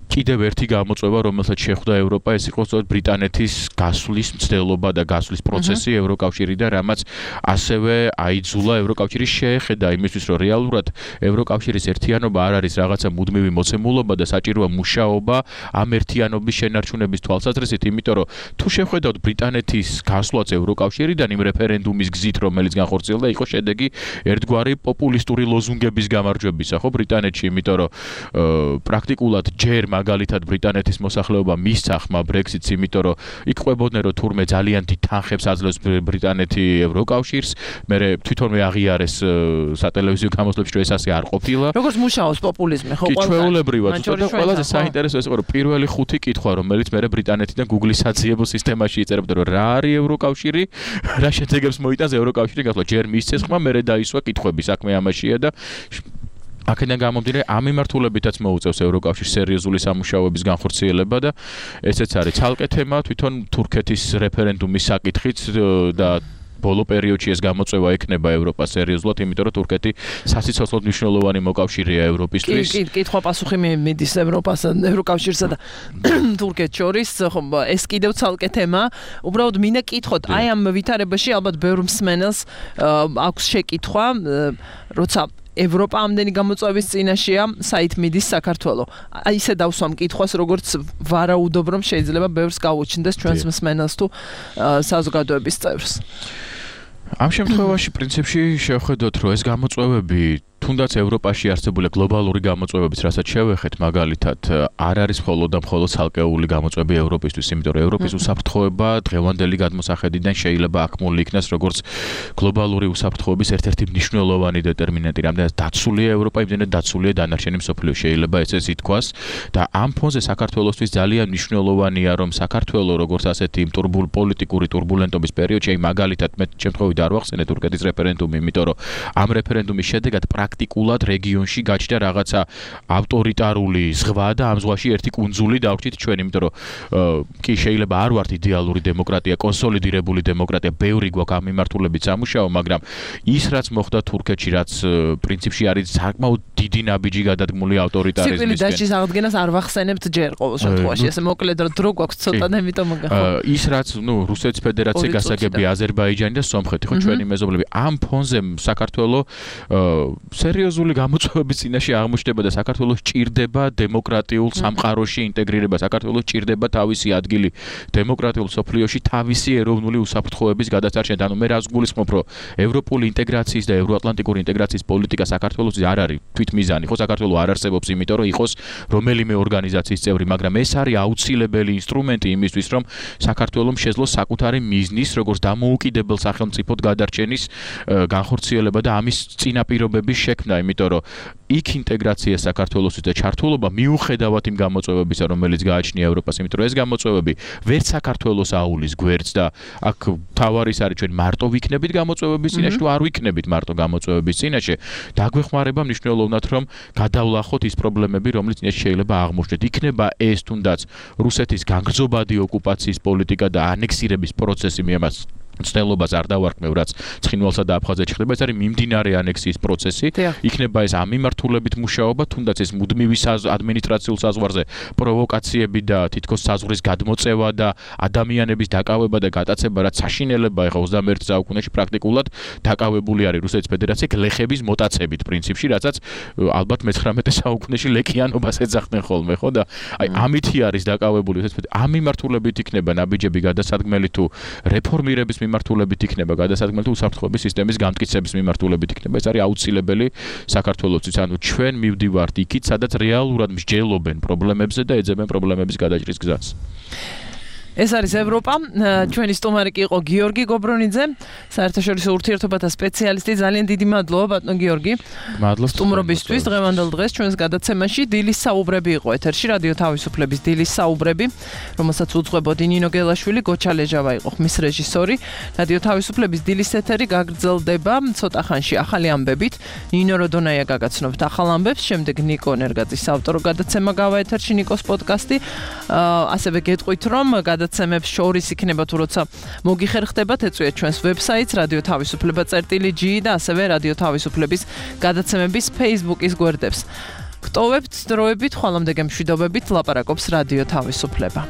კიდევ ერთი გამოწვევა, რომელსაც შეხვდა ევროპა, ეს იყო სწორედ ბრიტანეთის გასვლის მცდელობა და გასვლის პროცესი ევროკავშირიდან, რამაც ასევე აიძულა ევროკავშირი შეეხედა იმისთვის, რომ რეალურად ევროკავშირის ერთიანობა არ არის რაღაცა მუდმივი მოცემულობა და საჭიროა მუშაობა ამ ერთიანობის შენარჩუნების თვალსაზრისით, იმიტომ რომ თუ შევხედავთ ბრიტანეთის გასვლაც ევროკავშირიდან იმ რეფერენდუმის გზით, რომელიც განხორციელდა, იყო შედეგი ერთგვარი პოპულისტური ლოზუნგების გამარჯვებისა, ხო ბრიტანეთში, იმიტომ რომ პრაქტიკულად ჯერ მაგალითად ბრიტანეთის მოსახლეობა მისცა ხმა Brexit-ს, იმიტომ რომ იქ ყვებოდნენ რომ თურმე ძალიან დიდ თანხებს აძლევს ბრიტანეთი ევროკავშირს, მერე თვითონვე აღიარეს სატელევიზიო გამოსვლებში რომ ეს ასე არ ყოფილა. როგორც მუშაობს პოპულიზმი, ხო ყველა. კი, ჩვეულებრივად, უბრალოდ ყველაზე საინტერესო ეს იყო რომ პირველი 5 კითხვა, რომელიც მერე ბრიტანეთიდან Google-ის საძიებო სისტემაში იწერებდა რომ რა არის ევროკავშირი, რა შედეგებს მოიტანს ევროკავშირი გასვლა, ჯერ მისცეს ხმა, მერე დაისვა კითხვები, საქმე ამაშია და აქედან გამომდინარე ამ მიმართულებითაც მოუწევს ევროკავშირს სერიოზული სამუშაოების განხორციელება და ესეც არის ცალკე თემა თვითონ თურქეთის რეფერენდუმის საკითხიც და ბოლო პერიოდში ეს გამოწვევა ექნება ევროპას სერიოზულად, იმიტომ რომ თურქეთი სასიცოცხლოდ მნიშვნელოვანი მოკავშირეა ევროპისთვის. კი, კითხვა-პასუხი მიდის ევროკავშირსა და თურქეთს შორის, ხო, ეს კიდევ ცალკე თემა. უბრალოდ მინდა კითხოთ, აი ამ ვითარებაში ალბათ ბევრ მსმენელს აქვს შეკითხვა, როცა ევროპა ამდენი გამოწვევის წინაშეა, საით მიდის საქართველო. აი ისე დავსვამ კითხვას, როგორც ვარაუდობ, რომ შეიძლება ბევრს გაუჩნდეს ჩვენს მსმენელს თუ საზოგადოების წევრს. ამ შემთხვევაში პრინციპში შევხედოთ, რომ ეს გამოწვევები თუნდაც ევროპაში არსებული გლობალური გამოწვევების, რასაც შევეხეთ, მაგალითად, არ არის მხოლოდ და მხოლოდ ცალკეული გამოწვევები ევროპისთვის, იმიტომ რომ ევროპის უსაფრთხოება დღევანდელი გადმოსახედიდან შეიძლება აქმული იქნას როგორც გლობალური უსაფრთხოების ერთ-ერთი მნიშვნელოვანი დეტერმინანტი. რამდენად დაცულია ევროპა, იმდენად დაცულია დანარჩენი მსოფლიო, შეიძლება ესეც ითქვას და ამ ფონზე საქართველოსთვის ძალიან მნიშვნელოვანია, რომ საქართველო როგორც ასეთი პოლიტიკური турბულენტობის პერიოდში, აი მაგალითად მე შემთხვევით არ ვახსენე თურქეთის რეფერენდუმი, იმიტომ რომ ამ რეფერენდუმის შედეგად პრაქტიკულად რეგიონში გაჩნდა რაღაცა ავტორიტარული ზღვა და ამ ზღვაში ერთი კუნძული დავრჩით ჩვენ, იმიტომ რომ კი შეიძლება არ ვართ იდეალური დემოკრატია, კონსოლიდირებული დემოკრატია, ბევრი გვაქვს ამ მიმართულებით სამუშაო, მაგრამ ის რაც მოხდა თურქეთში, რაც პრინციპში არის საკმაოდ დიდი ნაბიჯი გადადგმული ავტორიტარიზმისკენ. სიკვდილის დასჯის აღდგენას არ ვახსენებთ ჯერ ყოველ შემთხვევაში, ესე მოკლედ დრო გვაქვს ცოტა და იმიტომ ის რაც, რუსეთის ფედერაცია გასაგები, აზერბაიჯანი და სომხეთი, ხო ჩვენი მეზობლები ამ ფონზე საქართველო სერიოზული გამოწვევების წინაშე აღმოჩნდება და საქართველოს ჭირდება დემოკრატიულ სამყაროში ინტეგრირება, საქართველოს ჭირდება თავისი ადგილი დემოკრატიულ სოფლიოში, თავისი ეროვნული უსაფრთხოების გადაწარშენა. ანუ მე რას გულისხმობ, რომ ევროპული ინტეგრაციის და ევროატლანტიკური ინტეგრაციის პოლიტიკა საქართველოს არ არის თვითმიზანი, ხო საქართველო არ არსებობს, იმიტომ რომ იყოს რომელიმე ორგანიზაციის წევრი, მაგრამ ეს არის აუცილებელი ინსტრუმენტი იმისთვის, რომ საქართველოს შეძლოს საკუთარი მიზნის, როგორც დამოუკიდებელ სახელმწიფოდ გადარჩენის განხორციელება და ამის წინაპირობების შექმნა, იმიტომ რომ იქ ინტეგრაცია საქართველოსთვის და ჩართულობა მიუხედავად იმ გამოწვევებისა, რომელიც გააჩნია ევროპას, იმიტომ რომ ეს გამოწვევები ვერც საქართველოს აულის გვერდს და აქ თავარის არის ჩვენ მარტო ვიქნებით გამოწვევების წინაშე თუ არ ვიქნებით მარტო გამოწვევების წინაშე, დაგვეხმარება მნიშვნელოვნად, რომ გადავლახოთ ის პრობლემები, რომლის წინაშე შეიძლება აღმოჩნდეთ. იქნება ეს თუნდაც რუსეთის განგრძობადი ოკუპაციის პოლიტიკა და ანექსირების პროცესი, მე ამას ცნელობას არ დავარქმევ, რაც ცხინვალსა და აფხაზეთში ხდება, ეს არის მიმდინარე ანექსიის პროცესი. იქნება ეს ამ მიმართულებით მუშაობა, თუნდაც ეს მუდმივი ადმინისტრაციულ საზღვარზე პროვოკაციები და თითქოს საზღვრის გადმოწევა და ადამიანების დაკავება და გატაცება, რაც საშინელება ეხა 21 საუკუნეში პრაქტიკულად დაკავებული არის რუსეთის ფედერაცია გლეხების მოტაცებით პრინციპში, რაცაც ალბათ მე-19 საუკუნეში ლეკიანობას ეძახდნენ ხოლმე, ხო და აი ამითი არის დაკავებული რუსეთის ფედერაცია. ამ მიმართულებით იქნება ნაბიჯები გადასადგმელი თუ რეფორმირების მიმართულებით იქნება გადასადგმელი თუ უსაფრთხოების სისტემის გამტკიცების მიმართულებით იქნება. ეს არის აუცილებელი საქართველოსთვის. ანუ ჩვენ მივდივართ იქით, სადაც რეალურად მსჯელობენ პრობლემებზე და ეძებენ პრობლემების გადაჭრის გზას. ეს არის ევროპა. ჩვენი სტუმარი კი იყო გიორგი გობრონიძე, საერთაშორისო ურთიერთობათა სპეციალისტი. ძალიან დიდი მადლობა ბატონო გიორგი. მადლობა სტუმრობისთვის დღევანდელ დღეს ჩვენს გადაცემაში დილის საუბრები იყო ეთერში, რადიო თავისუფლების დილის საუბრები, რომელსაც უძღვებოდი ნინო გელაშვილი, გოჩა ლეჟავა იყო ხმის რეჟისორი. რადიო თავისუფლების დილის ეთერი გაგრძელდება ცოტა ხანში ახალი ამბებით. ნინო როდონაია გაგაცნობთ ახალ ამბებს, შემდეგ ნიკო ნერგაძის ავტორო გადაცემა გავა ეთერში, ნიკოს პოდკასტი. ასევე გეტყვით, რომ გადაცემებს შორის იქნება თუ როცა მოგიხერხდებათ, ეწვიეთ ჩვენს ვებსაიტს radioთავისუფლება.gi და ასევე რადიო თავისუფლების გადაცემების Facebook-ის გვერდებს. გტოვებთ დროებით, ხვალამდე გემშვიდობებით, ლაპარაკობს რადიო თავისუფლება.